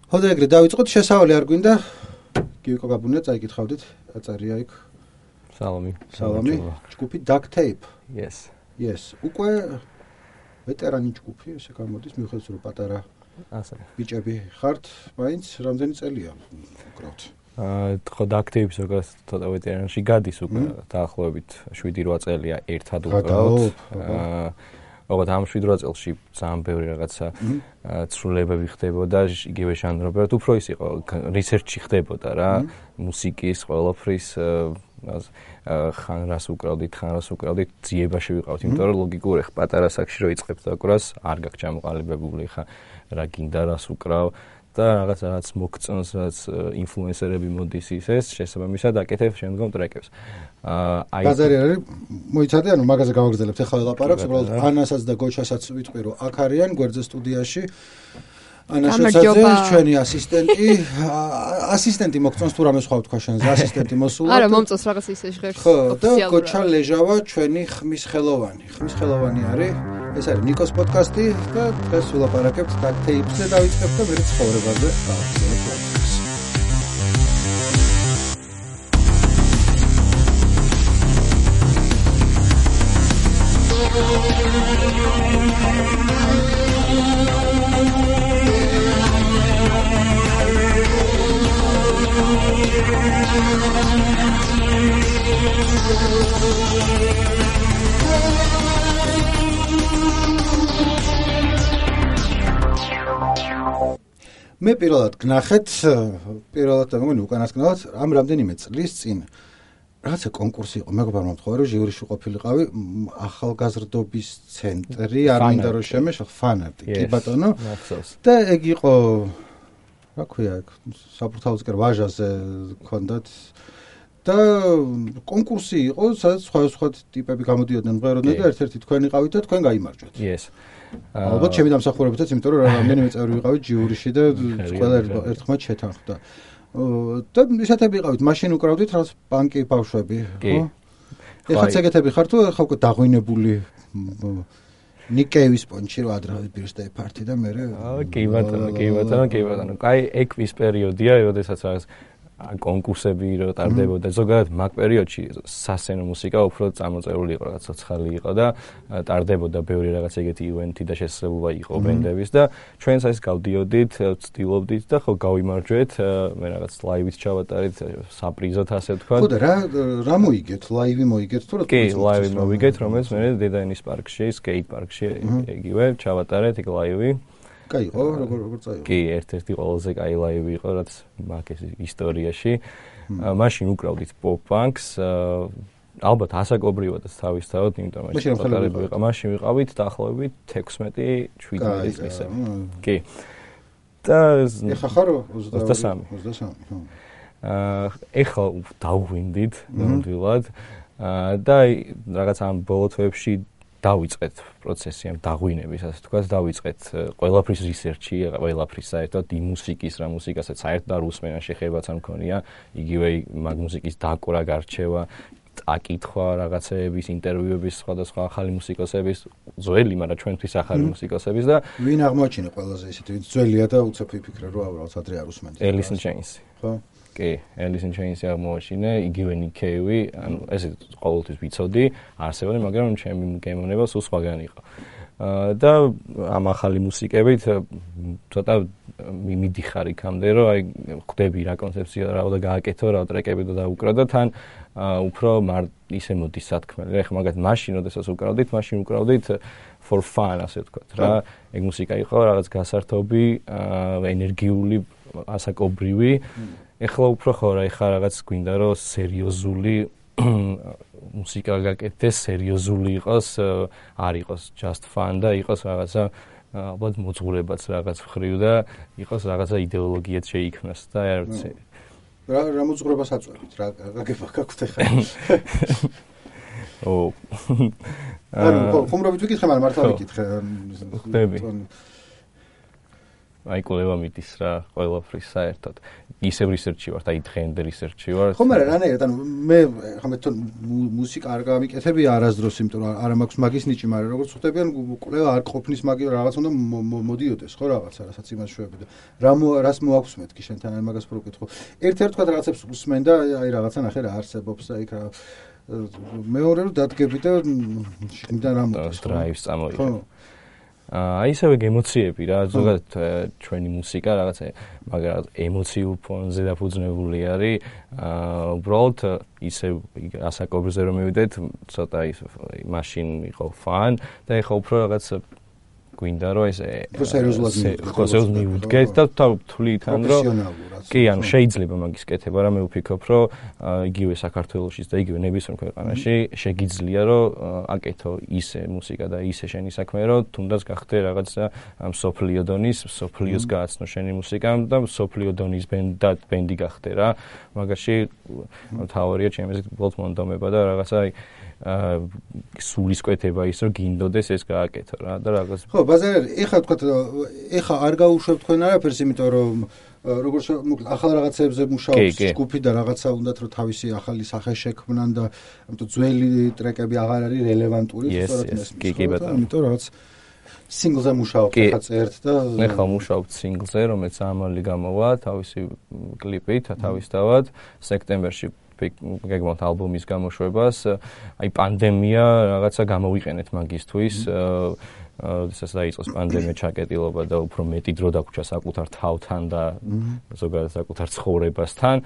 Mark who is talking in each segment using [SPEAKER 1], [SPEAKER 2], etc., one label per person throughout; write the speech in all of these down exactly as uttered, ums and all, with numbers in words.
[SPEAKER 1] ხო და ეგრე დავიწყოთ, შესავალი არ გვინდა. გივიკო გაბუნია, წაიკითხავდით, აწერია იქ.
[SPEAKER 2] სალამი.
[SPEAKER 1] სალამი. ჯგუფი Duct Tape.
[SPEAKER 2] Yes.
[SPEAKER 1] Yes. უკვე ვეტერანი ჯგუფი, ესე გამოდის, მიუხედავად რომ პატარა
[SPEAKER 2] ასე.
[SPEAKER 1] ბიჭები ხართ, მაინც რამდენი წელია უკრავთ?
[SPEAKER 2] აა, ხო Duct Tape ზოგადად ცოტა ვეტერანში გადის უკვე, დაახლოებით შვიდი რვა წელია ერთად უკრავთ. აა ოღონდ ამ შვიდ რვა წელში ძალიან ბევრი რაღაცა ცვლილებები ხდებოდა, იგივე ჟანრობრივად, უფრო ის იყო, რისერჩი ხდებოდა რა, მუსიკის, ყველაფრის ხან რას უკრავდით, ხან რას უკრავდით, ძიებაში ვიყავთ, იმიტომ რომ ლოგიკურ ეხ პატარა საქმეში რო იწყებ დაკვრას, არ გაქვს ჩამოყალიბებული ხა რა გინდა რას უკრავ და რაღაც რაღაც მოგწონს, რაც ინფლუენსერები მოდის ისეს, შესაბამისად აკეთებ შემდგომ ტრეკებს.
[SPEAKER 1] აა ბაზარი არის, მოიცადე, ანუ მაგაზე გავაგრძელებთ, ახლა ელაპარაკს, უბრალოდ ანასაც და გოჩასაც ვიტყვი, რომ აქ არიან გვერდზე სტუდიაში. ანა შოცაძე, ჩვენი ასისტენტი, ასისტენტი მოგწონს თუ რამე სხვა ვთქვა შენზე, ასისტენტი მოსულა.
[SPEAKER 3] არა, მომწონს რაღაც ისე ჟღერს.
[SPEAKER 1] ხო, და გოჩა ლეჟავა, ჩვენი ხმის ხელოვანი. ხმის ხელოვანი არის. ეს არის ნიკოს პოდკასტი და დღეს ვილაპარაკებთ Duct Tape-ზე და დავიწყებთ და მე ცხოვრებაზე გავაგრძელებთ. მე პირველად გნახეთ, პირველად და მეგონი უკანასკნელად ამ რამდენიმე წლის წინ რაღაცა კონკურსი იყო, მეგობრებმა მომთხოვა რომ ჟიურიში ყოფილიყავი ახალგაზრდობის ცენტრი, არ მინდა რომ შემეშ ფანარტი, კი ბატონო. და ეგ იყო რა ქვია, საფურთალოსკერ ვაჟაზე გქონდათ და კონკურსი იყო, სადაც სხვა სხვა ტიპები გამოდიოდნენ მღეროდნენ და ერთ-ერთი თქვენ იყავით და თქვენ გაიმარჯვეთ.
[SPEAKER 2] Yes.
[SPEAKER 1] ალბათ ჩემი დამსახურებითაც, იმიტომ რომ რამდენიმე წევრი ვიყავით ჟიურიში და ყველა ერთხმად შეთანხმდა. და ისეთები იყავით, მაშინ უკრავდით რაღაც პანკი ბავშვები, ხო? ეხლა ეგეთები ხარ თუ ხა უკვე დაღვინებული ნიკეივის პონჩი რო ადრე birthday party და მე
[SPEAKER 2] აა კი ბატონო, კი ბატონო, კი ბატონო. კაი, ექვის პერიოდია, როდესაც რაღაც კონკურსები რო ტარდებოდა, ზოგადად მაგ პერიოდში სასცენო მუსიკა უფრო წამოწეული იყო, რაღაც ცოცხალი იყო და ტარდებოდა ბევრი რაღაც ეგეთი ივენთი და შესაძლებლობა იყო ბენდების და ჩვენც ეს გავდიოდით, ვცდილობდით და ხო გავიმარჯვეთ, მე რაღაც ლაივით ჩავატარით, საპრიზოთ ასე ვთქვა.
[SPEAKER 1] ხო და რა რა მოიგეთ? ლაივი მოიგეთ თუ რა?
[SPEAKER 2] კი, ლაივი მოვიგეთ, რომელიც მე დედაენის პარკში, სკეით პარკში ეგივე ჩავატარეთ ეგ ლაივი.
[SPEAKER 1] კაი იყო, როგორ როგორ წაიღო?
[SPEAKER 2] კი, ერთ-ერთი ყველაზე კაი ლაივი იყო, რაც მაგ ეს ისტორიაში. მაშინ უკრავდით pop-punks, ალბათ ასაკობრივადაც თავისთავად, იმიტომ რომ პატარები ვიყავ, მაშინ ვიყავით დაახლოებით ექვსმეტი შვიდმეტი წლისა. კი. და
[SPEAKER 1] ეხა ხარ
[SPEAKER 2] ოცდასამი.
[SPEAKER 1] ოცდასამი, ხო.
[SPEAKER 2] აა ეხლა დავღვინდით ნამდვილად და რაღაც ამ ბოლო თვეებში დავიწყეთ პროცესი ამ დაღვინების, ასე თქვა, დავიწყეთ ყველაფრის რისერჩი, ყველაფრის საერთოდ იმ მუსიკის, რა მუსიკასაც საერთოდ არ უსმენა, შეხებაც არ მქონია, იგივე მაგ მუსიკის დაკვრა, გარჩევა, აკითხვა რაღაცეების, ინტერვიუების, სხვადასხვა ახალი მუსიკოსების, ძველი, მაგრამ ჩვენთვის ახალი მუსიკოსების და
[SPEAKER 1] ვინ აღმოაჩინა ყველაზე ისეთი, ვინც ძველია და უცებ ვიფიქრე, რომ აუბრალოდ ადრე არ უსმენთ.
[SPEAKER 2] Alice in Chains.
[SPEAKER 1] ხო?
[SPEAKER 2] კი, Alice in Chains აღმოაჩინა, იგივე Nick Cave, ანუ ესე ყოველთვის ვიცოდი, არსებობდი, მაგრამ ჩემი გემოვნება სულ სხვაგან იყო. და ამ ახალი მუსიკებით ცოტა მიმიდიხარ იქამდე, რომ აი ხვდები რა კონცეფცია რა უნდა გააკეთო, რა ტრეკები და დაუკრა და თან უფრო ისე მოდის სათქმელი. ეხლა მაგათ მაშინ, როდესაც უკრავდით, მაშინ უკრავდით for fun, ასე ვთქვათ. რა, ეგ მუსიკა იყო რაღაც გასართობი, ენერგიული, ასაკობრივი. ეხლა უფრო ხო რა, ეხლა რაღაც გვინდა რომ სერიოზული მუსიკა გაკეთდეს, სერიოზული იყოს, არ იყოს just fun და იყოს რაღაცა ალბათ მოძღვრებაც რაღაც ხრივ და იყოს რაღაცა იდეოლოგიაც შეიქმნას და არ ვიცი.
[SPEAKER 1] რა რა მოძღვრებას აწვევით, რა გაგება გაქვთ ეხლა?
[SPEAKER 2] ო.
[SPEAKER 1] ანუ ხუმრობით ვიკითხე, მაგრამ მართლა ვიკითხე.
[SPEAKER 2] ხდები. აი კვლევა მიდის რა ყველაფრის საერთოდ. ისევ რისერჩი ვარ, აი დღემდე რისერჩი ვარ.
[SPEAKER 1] ხო, მაგრამ რანაირად, ანუ მე ხომ მე თვითონ მუსიკა არ გამიკეთებია არასდროს, იმიტომ რომ არ მაქვს მაგის ნიჭი, მაგრამ როგორც ხვდებიან, კვლევა არ ყოფნის მაგი რაღაც უნდა მოდიოდეს, ხო რაღაცა, რასაც იმას შვები და რა რას მოაქვსმეთ კი შენთან აი მაგას პროკითხო. ერთ-ერთ თქვა რაღაცებს უსმენ და აი რაღაცა ნახე რა არსებობს და იქ რა მეორე რომ დადგები და შეგიდან რა მოდის,
[SPEAKER 2] ხო? დრაივს წამოიღე. აი ისევე ემოციები რა, ზოგადად ჩვენი მუსიკა რაღაცა მაგრამ ემოციურ ფონზე დაფუძნებული არის. აა უბრალოდ ისე ასაკობრივზე რომ მივიდეთ, ცოტა ის მაშინ იყო ფან და ეხა უფრო რაღაც გვინდა რომ ეს სერიოზულად მივუდგეთ და თვლით ან რომ კი ანუ შეიძლება მაგის კეთება რა მე ვფიქრობ რომ იგივე საქართველოშიც და იგივე ნებისმიერ ქვეყანაში შეგიძლია რომ აკეთო ისე მუსიკა და ისე შენი საქმე რომ თუნდაც გახდე რაღაცა მსოფლიო დონის მსოფლიოს გააცნო შენი მუსიკამ და მსოფლიო დონის ბენდი გახდე რა მაგაში თავარია ჩემს უბრალოდ მონდომება და რაღაცა აა სულისკვეთება ის რომ გინდოდეს ეს გააკეთო რა და რაღაც
[SPEAKER 1] ხო ბაზარი ეხლა თქვა ეხლა არ გაუშვებ თქვენ არაფერს იმიტომ რომ როგორც ახალ რაღაცებზე მუშაობს ჯგუფი და რაღაცა უნდათ რომ თავისი ახალი სახე შექმნან და ამიტომ ძველი ტრეკები აღარ არის რელევანტური
[SPEAKER 2] სწორად ეს კი კი ბატონო
[SPEAKER 1] ამიტომ რაღაც სინგლზე მუშაობთ ახლა წერთ და
[SPEAKER 2] მე ხა მუშაობთ სინგლზე რომელიც ამალი გამოვა თავისი კლიპით თავისთავად სექტემბერში გეგმავთ ალბომის გამოშვებას აი პანდემია რაღაცა გამოვიყენეთ მაგისთვის ეს დაიწყოს პანდემია ჩაკეტილობა და უფრო მეტი დრო დაგვრჩა საკუთარ თავთან და ზოგადად საკუთარ ცხოვრებასთან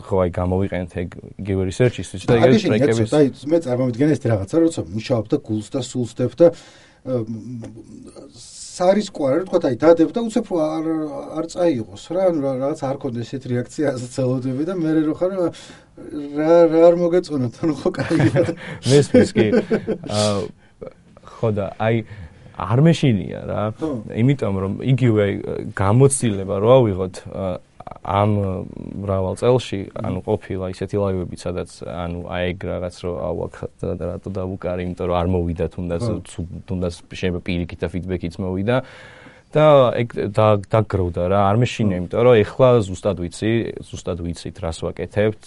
[SPEAKER 2] ხო აი გამოვიყენეთ იგივე რისერჩისთვის და იგივე ტრეკების
[SPEAKER 1] აი მე წარმოვიდგენ ეს რაღაცა როცა მუშაობ და გულს და სულს დებ და სარისკوار თქვა აი დადებ და უცებ არ არ წაიღოს რა რაღაც არ კონდეს ესეთ რეაქცია ასეც ელოდები და მე რო ხარ რა რა არ მოგეწონოთ ანუ ხო კარგია
[SPEAKER 2] მესმის კი ხო და აი არ მეშინია რა იმიტომ რომ იგივე გამოცდილება რო ავიღოთ ამ მრავალ წელში ანუ ყოფილა ისეთი ლაივები სადაც ანუ აი ეგ რაღაც რო ავაქ და რატო დავუკარი იმიტომ რომ არ მოვიდა თუნდაც თუნდაც შეიძლება პირიქით და ფიდბექიც მოვიდა და ეგ დაგროვდა რა არ მეშინია იმიტომ რომ ეხლა ზუსტად ვიცი ზუსტად ვიცით რას ვაკეთებთ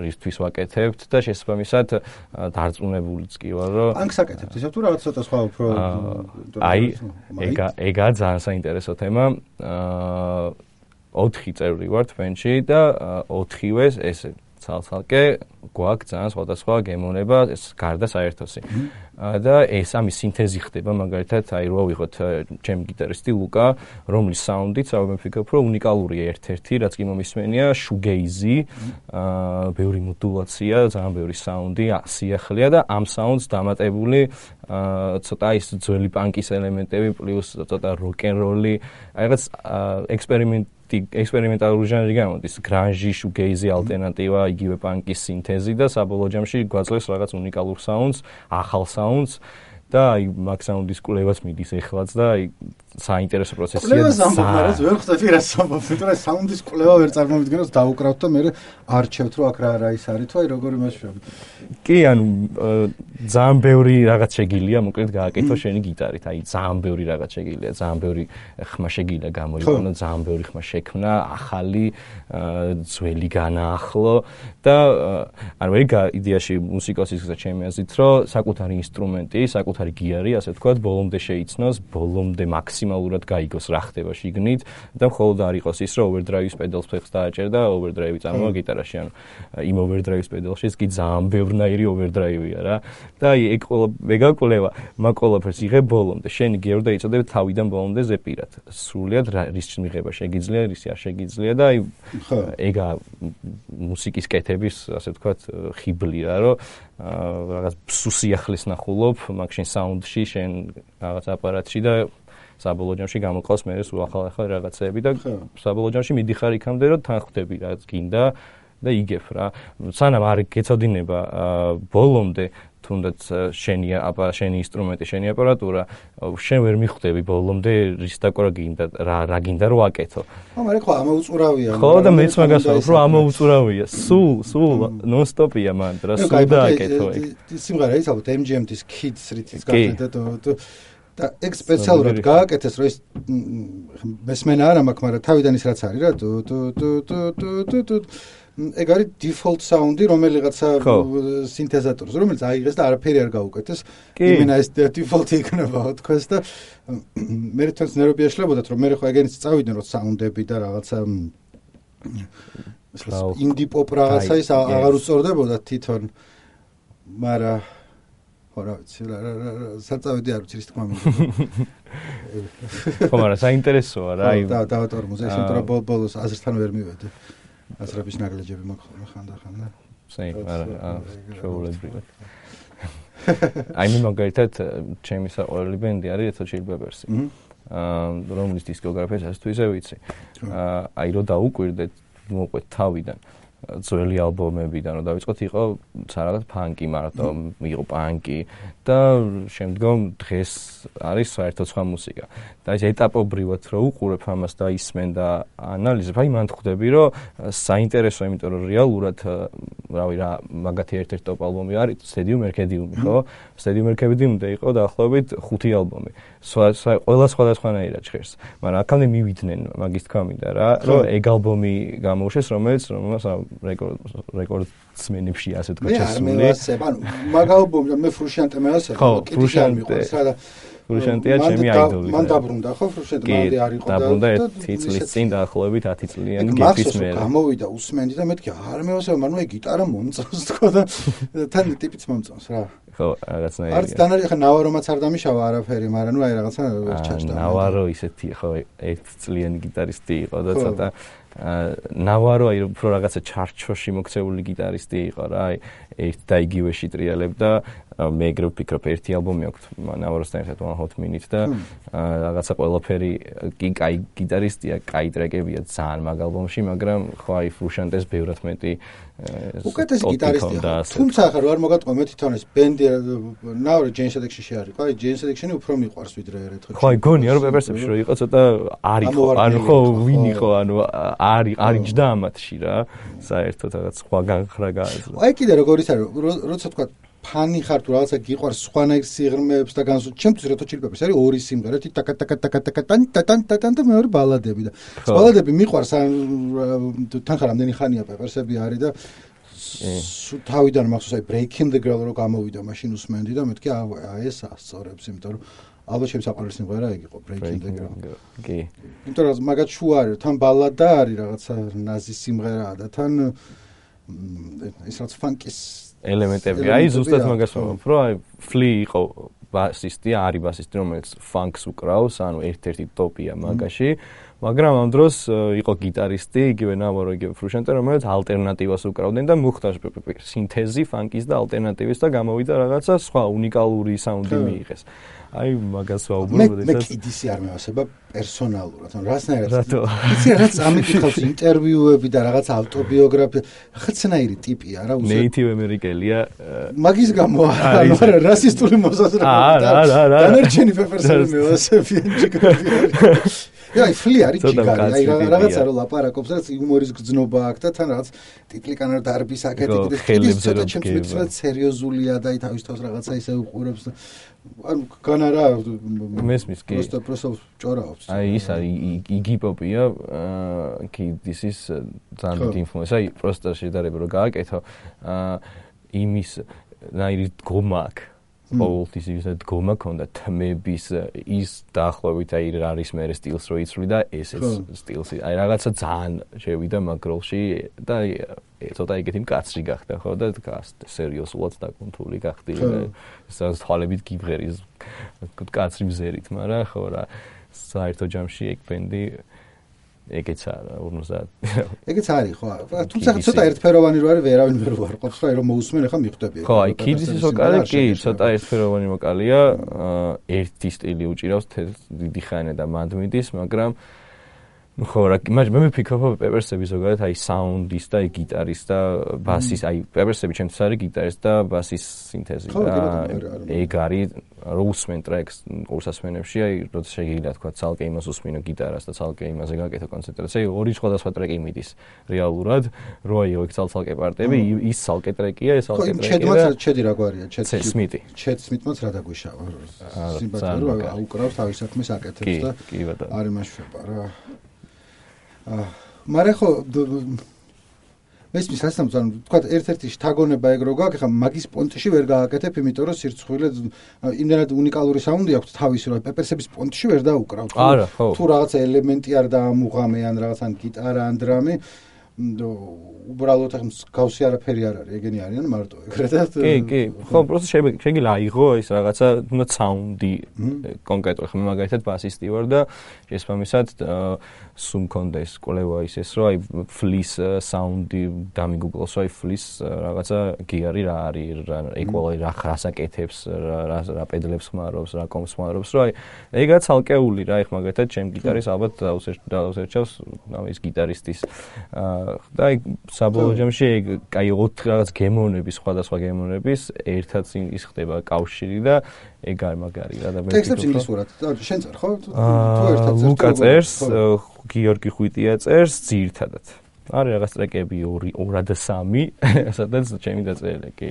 [SPEAKER 2] რისთვის ვაკეთებთ და შესაბამისად დარწმუნებულიც კი ვარ რომ
[SPEAKER 1] პანკს აკეთებთ ისე თუ რაღაც ცოტა სხვა უფრო
[SPEAKER 2] აი ეგა ეგა ძალიან საინტერესო თემა აა ოთხი წევრი ვართ ბენდში და ოთხივეს ესე ცალ-ცალკე გვაქვს ძალიან სხვადასხვა გემოვნება ეს გარდა საერთოსი და ეს ამის სინთეზი ხდება მაგალითად აი რო ავიღოთ ჩემი გიტარისტი ლუკა რომლის საუნდიც რა მე ვფიქრობ რომ უნიკალურია ერთ-ერთი რაც კი მომისმენია შუგეიზი აა ბევრი მოდულაცია ძალიან ბევრი საუნდი სიახლეა და ამ საუნდს დამატებული აა ცოტა ის ძველი პანკის ელემენტები პლუს ცოტა როკ-ენ-როლი აი რაღაც ექსპერიმენტი ექსპერიმენტალური ჟანრი გამოდის გრანჟი შუგეიზი ალტერნატივა იგივე პანკის სინთეზი და საბოლოო ჯამში გვაძლევს რაღაც უნიკალურ საუნდს ახალ საუნდს და აი მაგ საუნდის კვლევაც მიდის ეხლაც და აი საინტერესო პროცესია.
[SPEAKER 1] კვლევას ამბობ, ვერ ხვდები რა ამბობ, იმიტომ რომ საუნდის კვლევა ვერ წარმოვიდგენოს დაუკრავთ და მე არჩევთ რომ აქ რა რა ის არის თუ აი როგორი მასშტაბი.
[SPEAKER 2] კი, ანუ ძალიან ბევრი რაღაც შეგილია, მოკლედ გააკეთო შენი გიტარით. აი ძალიან ბევრი რაღაც შეგილია, ძალიან ბევრი ხმა შეგილია გამოიყენო, ძალიან ბევრი ხმა შექმნა, ახალი, ძველი განაახლო და ანუ მე იდეაში მუსიკოსის ჩემი აზრით რომ საკუთარი ინსტრუმენტი, საკუთარი გიარი, ასე ვთქვათ, ბოლომდე შეიცნოს, ბოლომდე მაქსიმალურად გაიგოს რა ხდება შიგნით და მხოლოდ არ იყოს ის რომ ოვერდრაივის პედალს ფეხს დააჭერ და ოვერდრაივი წამოვა გიტარაში, ანუ იმ ოვერდრაივის პედალშიც კი ძალიან ბევრნაირი ოვერდრაივია რა. და აი ეგ ყველა მეგაკვლევა, მაგ ყველაფერს იღებ ბოლომდე. შენი გიარი დაიწოდებ თავიდან ბოლომდე ზეპირად. სრულად რის მიღება შეგიძლია, რის არ შეგიძლია და აი ეგა მუსიკის კეთების, ასე ვთქვათ, ხიბლი რა, რომ რაღაც სუსიახლის ნახულობ, მაგ შენ საუნდში, შენ რაღაც აპარატში და საბოლოო ჯამში გამოყავს მე ეს ახალ-ახალ რაღაცეები და საბოლოო ჯამში მიდიხარ იქამდე რომ თან ხვდები რაც გინდა და იგებ რა. სანამ არ გეცოდინება ბოლომდე თუნდაც შენი აპა შენი ინსტრუმენტი, შენი აპარატურა, შენ ვერ მიხვდები ბოლომდე რის დაკვრა გინდა, რა რა გინდა რომ აკეთო.
[SPEAKER 1] ხო, მაგრამ ხო ამოუწურავია.
[SPEAKER 2] ხო და მეც მაგას ვამბობ, რომ ამოუწურავია. სულ, სულ ნონ-სტოპია მან, რა სულ დააკეთო ეგ.
[SPEAKER 1] სიმღერა ის ალბათ ემ ჯი ემ-ის Kids რითიც გახდა და და ეგ სპეციალურად გააკეთეს, რომ ეს მესმენა არა მაქვს, მაგრამ თავიდან ის რაც არის რა, ტუ ტუ ტუ ტუ ტუ ტუ ეგ არის default sound-ი, რომელიღაცა სინთეზატორს, რომელიც აიღეს და არაფერი არ გაუკეთეს. იმენა ეს default-ი იქნება, თქოს და მე თვითონ ნერვები ეშლებოდათ, რომ მე ხო ეგენიც წავიდნენ, რომ sound-ები და რაღაცა indie pop რაღაცა ის აღარ უწორდებოდა თვითონ. მაგრამ ხო რა ვიცი, საწავედი არ ვიცი ის თქმა მინდა.
[SPEAKER 2] ხო, მაგრამ საინტერესოა რა.
[SPEAKER 1] და დავატორმოზე, იმიტომ რომ ბოლოს აზრთან ვერ მივედი. აზრების ნაგლეჯები მაქვს ხანდახან და
[SPEAKER 2] სეი, არა, ჩვეულებრივად. აი მე მაგალითად ჩემი საყვარელი ბენდი არის Red Hot Chili Peppers. აა რომლის დისკოგრაფიას თუ ისე ვიცი. აა აი რო დაუკვირდეთ, მოყვეთ თავიდან. ძველი ალბომებიდან რომ დავიწყოთ იყო რაღაც ფანკი მარტო იყო პანკი და შემდგომ დღეს არის საერთოდ სხვა მუსიკა და ეს ეტაპობრივად რო უყურებ ამას და ისმენ და ანალიზებ აი მან ხვდები რომ საინტერესო იმიტომ რომ რეალურად რავი რა მაგათი ერთ-ერთი ტოპ ალბომი არის Stadium Arcadium ხო Stadium Arcadium-დე იყო დაახლოებით ხუთი ალბომი ყველა სხვადასხვანაირად ჟღერს მაგრამ აქამდე მივიდნენ მაგის თქმა მინდა რა რომ ეგ ალბომი გამოუშვეს რომელიც რომელსაც რეკორდ რეკორდსმენებში ასე თქვა შესული.
[SPEAKER 1] მე ასებ, ანუ მაგ ალბომი მე ფრუშიანტე მე ასე
[SPEAKER 2] ხო, ფრუშიანტე. ფრუშიანტეა ჩემი აიდოლი.
[SPEAKER 1] მან დაბრუნდა ხო ფრუშიანტე მანდი არ იყო და
[SPEAKER 2] დაბრუნდა ერთი წლის წინ დაახლოებით ათი წლიანი გეფის მერე.
[SPEAKER 1] გამოვიდა უსმენდი და მეთქი არ მე ასე მაგრამ ეგ გიტარა მომწონს თქო და თან ტიპიც მომწონს რა.
[SPEAKER 2] ხო, რაღაცნაირი.
[SPEAKER 1] არც დანარი ხა ნავარომაც არ დამიშავა არაფერი, მაგრამ ნუ აი რაღაცა ვერ ჩაჭდა.
[SPEAKER 2] ნავარო ისეთი ხო ერთი წლიანი გიტარისტი იყო და ცოტა ნავარო აი უფრო რაღაცა ჩარჩოში მოქცეული გიტარისტი იყო რა აი ერთ და იგივეში ტრიალებდა მე ეგრე ვფიქრობ ერთი ალბომი აქვს ნავაროსთან ერთად One Hot Minute და რაღაცა ყველაფერი კი კაი გიტარისტია, კაი ტრეკებია ძალიან მაგ ალბომში, მაგრამ ხო აი ფრუშანტეს ბევრად მეტი
[SPEAKER 1] უკეთესი გიტარისტია. თუმცა ახლა რო არ მოგატყვა მე თვითონ ეს ბენდი ნავარო Jane's Addiction-ში არის, ხო აი Jane's Addiction-ი უფრო მიყვარს ვიდრე Red Hot.
[SPEAKER 2] ხო აი გონია რომ პეპერსებში რო იყო ცოტა არ იყო, ანუ ხო ვინ იყო, ანუ არის არის ჯდა ამათში რა, საერთოდ რაღაც სხვა განხრა გააზრდა.
[SPEAKER 1] აი კიდე როგორ ის არის, როცა თქვა ფანი ხარ თუ რაღაცა გიყვარს სხვანაირ სიღრმეებს და განსულ ჩემთვის Red Hot Chili Peppers არის ორი სიმღერა, ერთი ტაკა ტაკა ტაკა ტაკა ტან ტან ტან და მეორე ბალადები და ბალადები მიყვარს თან ხარ ამდენი ხანია პეპერსები არის და თავიდან მახსოვს აი Breaking the Girl რო გამოვიდა მაშინ უსმენდი და მეთქი აი ეს ასწორებს, იმიტომ რომ ალბათ ჩემს საყვარელი სიმღერა ეგ იყო Breaking the Girl.
[SPEAKER 2] კი.
[SPEAKER 1] იმიტომ რომ მაგათ შუა არის, თან ბალადა არის რაღაცა ნაზი სიმღერაა და თან ის რაც ფანკის
[SPEAKER 2] ელემენტები. აი ზუსტად მაგას ვამბობ, რომ აი ფლი იყო ბასისტი, არის ბასისტი, რომელიც ფანკს უკრავს, ანუ ერთ-ერთი ტოპია მაგაში, მაგრამ ამ დროს იყო გიტარისტი, იგივე ნავარო, იგივე ფრუშანტე, რომელიც ალტერნატივას უკრავდნენ და მოხდა სინთეზი ფანკის და ალტერნატივის და გამოვიდა რაღაცა სხვა უნიკალური საუნდი მიიღეს. აი მაგას ვაუბრობ,
[SPEAKER 1] როდესაც მე კიდისი არ მევასება პერსონალურად, ანუ რასნაირად იცი რაც ამიკითხავს ინტერვიუები და რაღაც ავტობიოგრაფია, რაღაცნაირი ტიპია რა უსე
[SPEAKER 2] ნეიტივ ამერიკელია
[SPEAKER 1] მაგის გამო არა, მაგრამ რასისტული მოსაზრება და დანარჩენი პეპერსები მევასებიან ჯიგარი. აი ფლი არის ჯიგარი, აი რაღაცა რო ლაპარაკობს, რაც იუმორის გრძნობა აქვს და თან რაღაც ტიტლიკანარ დარბის აკეთებს და ის ცოტა ჩემს მეცნიერად სერიოზულია და აი თავის თავს რაღაცა ისე უყურებს და ანუ განარა
[SPEAKER 2] მესმის კი
[SPEAKER 1] просто просто ჭორაობს.
[SPEAKER 2] აი ის არის იგი პოპია, კი this is ძალიან დიდი ინფლუენსა, აი просто შედარება რომ გააკეთო, იმის ნაირი დგომა აქვს. ყოველთვის ის დგომა ქონდა თმების ის დაახლოებით აი რა არის მე სტილს რო იცვლი და ესეც სტილს აი რაღაცა ძალიან შევიდა მაგ როლში და ცოტა იგეთი მკაცრი გახდა ხო და სერიოზულად დაკუნთული გახდი ეს თვალებით გიბღერის მკაცრი მზერით მაგრამ ხო რა საერთო ჯამში ეგ ბენდი ეგეც არა ორმოცდაათ
[SPEAKER 1] ეგეც არის ხო თუმცა ცოტა ერთფეროვანი რო არის ვერავინ ვერ ვარყოფს რა რომ მოусმენ ახლა მიხვდები
[SPEAKER 2] ხო აი ქიდის ვოკალი კი ცოტა ერთფეროვანი ვოკალია ერთი სტილი უჭირავს დიდი ხანი და მანდ მიდის მაგრამ ხო, რა, მაგრამ მე ვფიქრობ პეპერსები ზოგადად აი საუნდის და აი გიტარის და ბასის, აი პეპერსები ჩემთვის არის გიტარის და ბასის სინთეზი და ეგ არის რო უსმენ ტრეკს კურსასმენებში, აი როცა შეიძლება თქვა ცალკე იმას უსმინო გიტარას და ცალკე იმაზე გაკეთო კონცენტრაცია, ორი სხვადასხვა ტრეკი მიდის რეალურად, რო აი ეგ ცალ-ცალკე პარტები, ის ცალკე ტრეკია, ეს ცალკე ტრეკია.
[SPEAKER 1] ჩედმაც ჩედი რა გვარია, ჩედ
[SPEAKER 2] სმიტი.
[SPEAKER 1] ჩედ სმიტმაც რა დაგვიშავა. სიმბატური რო აუკრავს თავის საქმეს აკეთებს და არ იმაშვება რა. აა მაგრამ ხო მესმის ასამს ანუ თქვა ერთ-ერთი შთაგონება ეგ რო გაქვს, ხა მაგის პონტში ვერ გააკეთებ, იმიტომ რომ სირცხვილე იმდენად უნიკალური საუნდი აქვს თავისი, რომ პეპერსების პონტში ვერ დაუკრავ. თუ რაღაცა ელემენტი არ დაამუღამე ან რაღაც ან გიტარა ან დრამი უბრალოდ ახლა მსგავსი არაფერი არ არის, ეგენი არიან მარტო ეგრე და
[SPEAKER 2] კი, კი. ხო, პროცესი შეიძლება აიღო ის რაღაცა თუნდაც საუნდი კონკრეტულად. ხომ მაგალითად ბასისტი ვარ და შესაბამისად სულ მქონდა ეს კვლევა ისეს, რომ აი ფლის საუნდი დამიგუგლოს, აი ფლის რაღაცა გიარი რა არის, რა ეკვალი რა ხასაკეთებს, რა რა პედლებს ხმარობს, რა კომს ხმარობს, რომ აი ეგაც ალკეული რა, ეხ მაგალითად ჩემ გიტარის ალბათ დაუსერჩავს ამის გიტარისტის და აი საბოლოო ჯამში ეგ კაი ოთხ რაღაც გემოვნების, სხვადასხვა გემოვნების ერთად ის ხდება კავშირი და ეგ არ მაგარი რა და მე
[SPEAKER 1] ტექსტებს ინგლისურად შენ წარ ხო? თუ ერთად წერს
[SPEAKER 2] ლუკა წერს, გიორგი ხვიტია წერს ძირითადად. არის რაღაც ტრეკები ორი და სამი, სადაც ჩემი დაწერილი კი.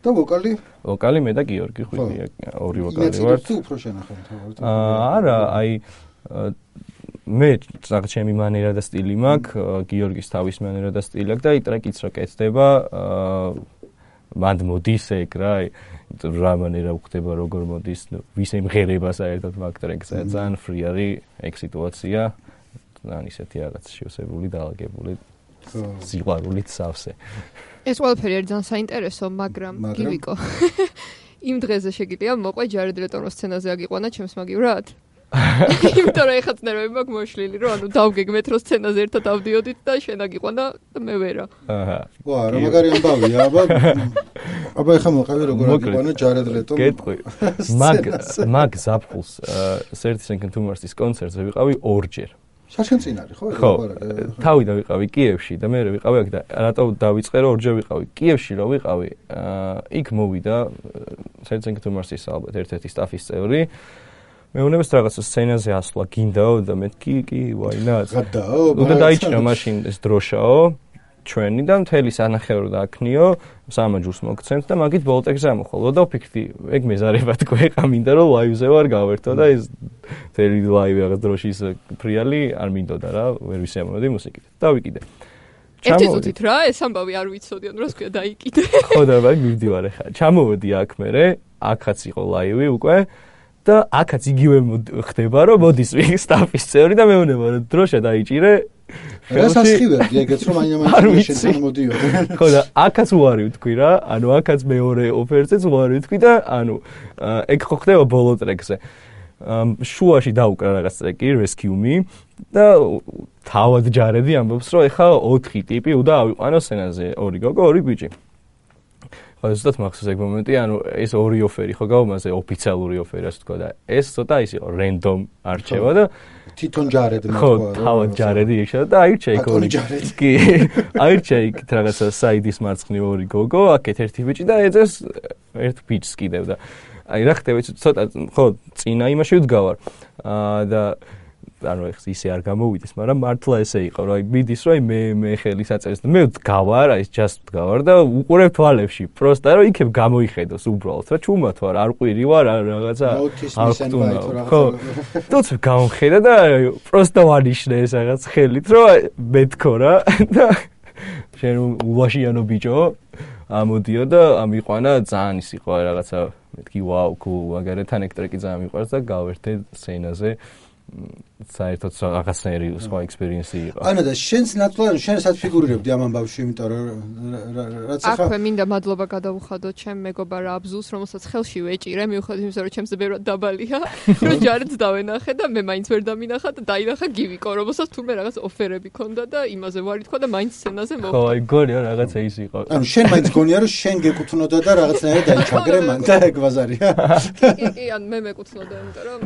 [SPEAKER 1] და ვოკალი?
[SPEAKER 2] ვოკალი მე და გიორგი ხვიტია, ორი ვოკალი ვარ.
[SPEAKER 1] თუ უფრო შენახავ თავად.
[SPEAKER 2] არა, აი მე რაღაც ჩემი მანერა და სტილი მაქვს, გიორგის თავის მანერა და სტილი აქვს და აი ტრეკიც რო კეთდება, მანდ მოდის ეგ რა, რა მანერა უხდება, როგორ მოდის, ვის ემღერება საერთოდ მაგ ტრეკზე, ძალიან ფრი არის ეგ სიტუაცია, ძალიან ისეთი რაღაც შევსებული, დაალაგებული, სიყვარულით სავსე.
[SPEAKER 3] ეს ყველაფერი არის ძალიან საინტერესო, მაგრამ გივიკო. იმ დღეზე შეგიძლია მოყვე ჯარედ რეტონოს სცენაზე აგიყვანა ჩემს მაგივრად? იმიტომ რომ ეხაც ნერვები მაქვს მოშლილი, რომ ანუ დავგეგმეთ რომ სცენაზე ერთად ავდიოდით და შენ აგიყვანა და მე ვერა.
[SPEAKER 2] აჰა.
[SPEAKER 1] ვა, რა მაგარი ამბავია, აბა. აბა ეხა მოყავი როგორ აგიყვანა ჯარედ რეტონ.
[SPEAKER 2] გეტყვი. მაგ მაგ ზაფხულს thirty Seconds to Mars-ის კონცერტზე ვიყავი ორჯერ.
[SPEAKER 1] საშენ წინ არის ხო?
[SPEAKER 2] ხო. თავიდან ვიყავი კიევში და მე ვიყავი აქ და რატო დავიწყე რომ ორჯერ ვიყავი კიევში რომ ვიყავი, იქ მოვიდა thirty Seconds to Mars-ის ალბათ ერთ-ერთი სტაფის წევრი. მეუნებას რაღაცა სცენაზე ასვლა გინდაო და მე კი კი why not
[SPEAKER 1] გადაო
[SPEAKER 2] უნდა დაიჭრა მაშინ ეს დროშაო ჩვენი და მთელი სანახევრო დააქნიო სამაჯურს მოგცემთ და მაგით ბოლტექზე ამოხვალო და ვფიქრდი ეგ მეზარება თქვი ხა მინდა რომ ლაივზე ვარ გავერთო და ეს მთელი ლაივი რაღაც დროშის ფრიალი არ მინდოდა რა ვერ ვისიამოვნებდი მუსიკით დავიკიდე
[SPEAKER 3] ერთი წუთით რა ეს ამბავი არ ვიცოდიო რა თქვია დაიკიდე
[SPEAKER 2] ხო და ვაი მივდივარ ხა ჩამოვედი აქ მერე აქაც იყო ლაივი უკვე და აქაც იგივე ხდება რომ მოდის სტაფის წევრი და მეუნება რომ დროშა დაიჭირე
[SPEAKER 1] ეს ასხივერდი ეგეც რომ აინამაინც შენ მოდიოდი
[SPEAKER 2] ხო და აქაც უარი ვთქვი რა ანუ აქაც მეორე ოფერზეც უარი ვთქვი და ანუ ეგ ხო ხდება ბოლო ტრეკზე შუაში დაუკრა რაღაც ტრეკი Rescue Me და თავად ჯარედი ამბობს რომ ეხა ოთხი ტიპი უნდა ავიყვანო სცენაზე ორი გოგო ორი ბიჭი ზუსტად მახსოვს ეგ მომენტი, ანუ ეს ორი ოფერი ხო გავუმაზე ოფიციალური ოფერი ასე თქვა და ეს ცოტა ის იყო random არჩევა და
[SPEAKER 1] თვითონ ჯარედ მე
[SPEAKER 2] თქვა. ხო, თავად ჯარედი ეშა და აირჩა იქ ორი. კი, აირჩა იქ რაღაცა საიდის მარცხნივ ორი გოგო, აქეთ ერთი ბიჭი და ეძებს ერთ ბიჭს კიდევ და აი რა ხდება ცოტა ხო წინა იმაში ვდგავარ. აა და ანუ ეხს ისე არ გამოვიდეს, მაგრამ მართლა ესე იყო, რომ აი მიდის, რომ აი მე მე ხელი საწერს და მე ვდგავარ, აი just ვდგავარ და უყურებ თვალებში, პროსტა რომ იქებ გამოიხედოს უბრალოდ, რა ჩუმად ვარ, არ ყვირი ვარ, არ რაღაცა არ ხტუნა. ხო. თოც გამხედა და პროსტა ვანიშნე ეს რაღაც ხელით, რომ მეთქო რა და შენ ულაშიანო ბიჭო ამოდიო და ამიყვანა ძალიან ის იყო რაღაცა მეთქი ვაუ, cool, მაგართან ეგ ტრეკი ძალიან მიყვარს და გავერთე სცენაზე საერთოდ რაღაცნაირი სხვა ექსპერიენსი იყო.
[SPEAKER 1] ანუ და შენს ნაცვლად შენსაც ფიგურირებდი ამ ამბავში, იმიტომ რომ რაც ახლა
[SPEAKER 3] აქვე მინდა მადლობა გადავუხადო ჩემ მეგობარ აბზულს, რომელსაც ხელში ვეჭირე, მიუხედავად იმისა, რომ ჩემზე ბევრად დაბალია, რომ ჯარედს დავენახე და მე მაინც ვერ დამინახა და დაინახა გივიკო, რომელსაც თურმე რაღაც ოფერები ქონდა და იმაზე ვარი თქვა და მაინც სცენაზე მოხვდა.
[SPEAKER 2] ხო, აი გონია რაღაცა ის იყო.
[SPEAKER 1] ანუ შენ მაინც გონია რომ შენ გეკუთვნოდა და რაღაცნაირად დაიჩაგრე მან და ეგ ბაზარია.
[SPEAKER 3] კი, კი, ან მე მეკუთვნოდა, იმიტომ რომ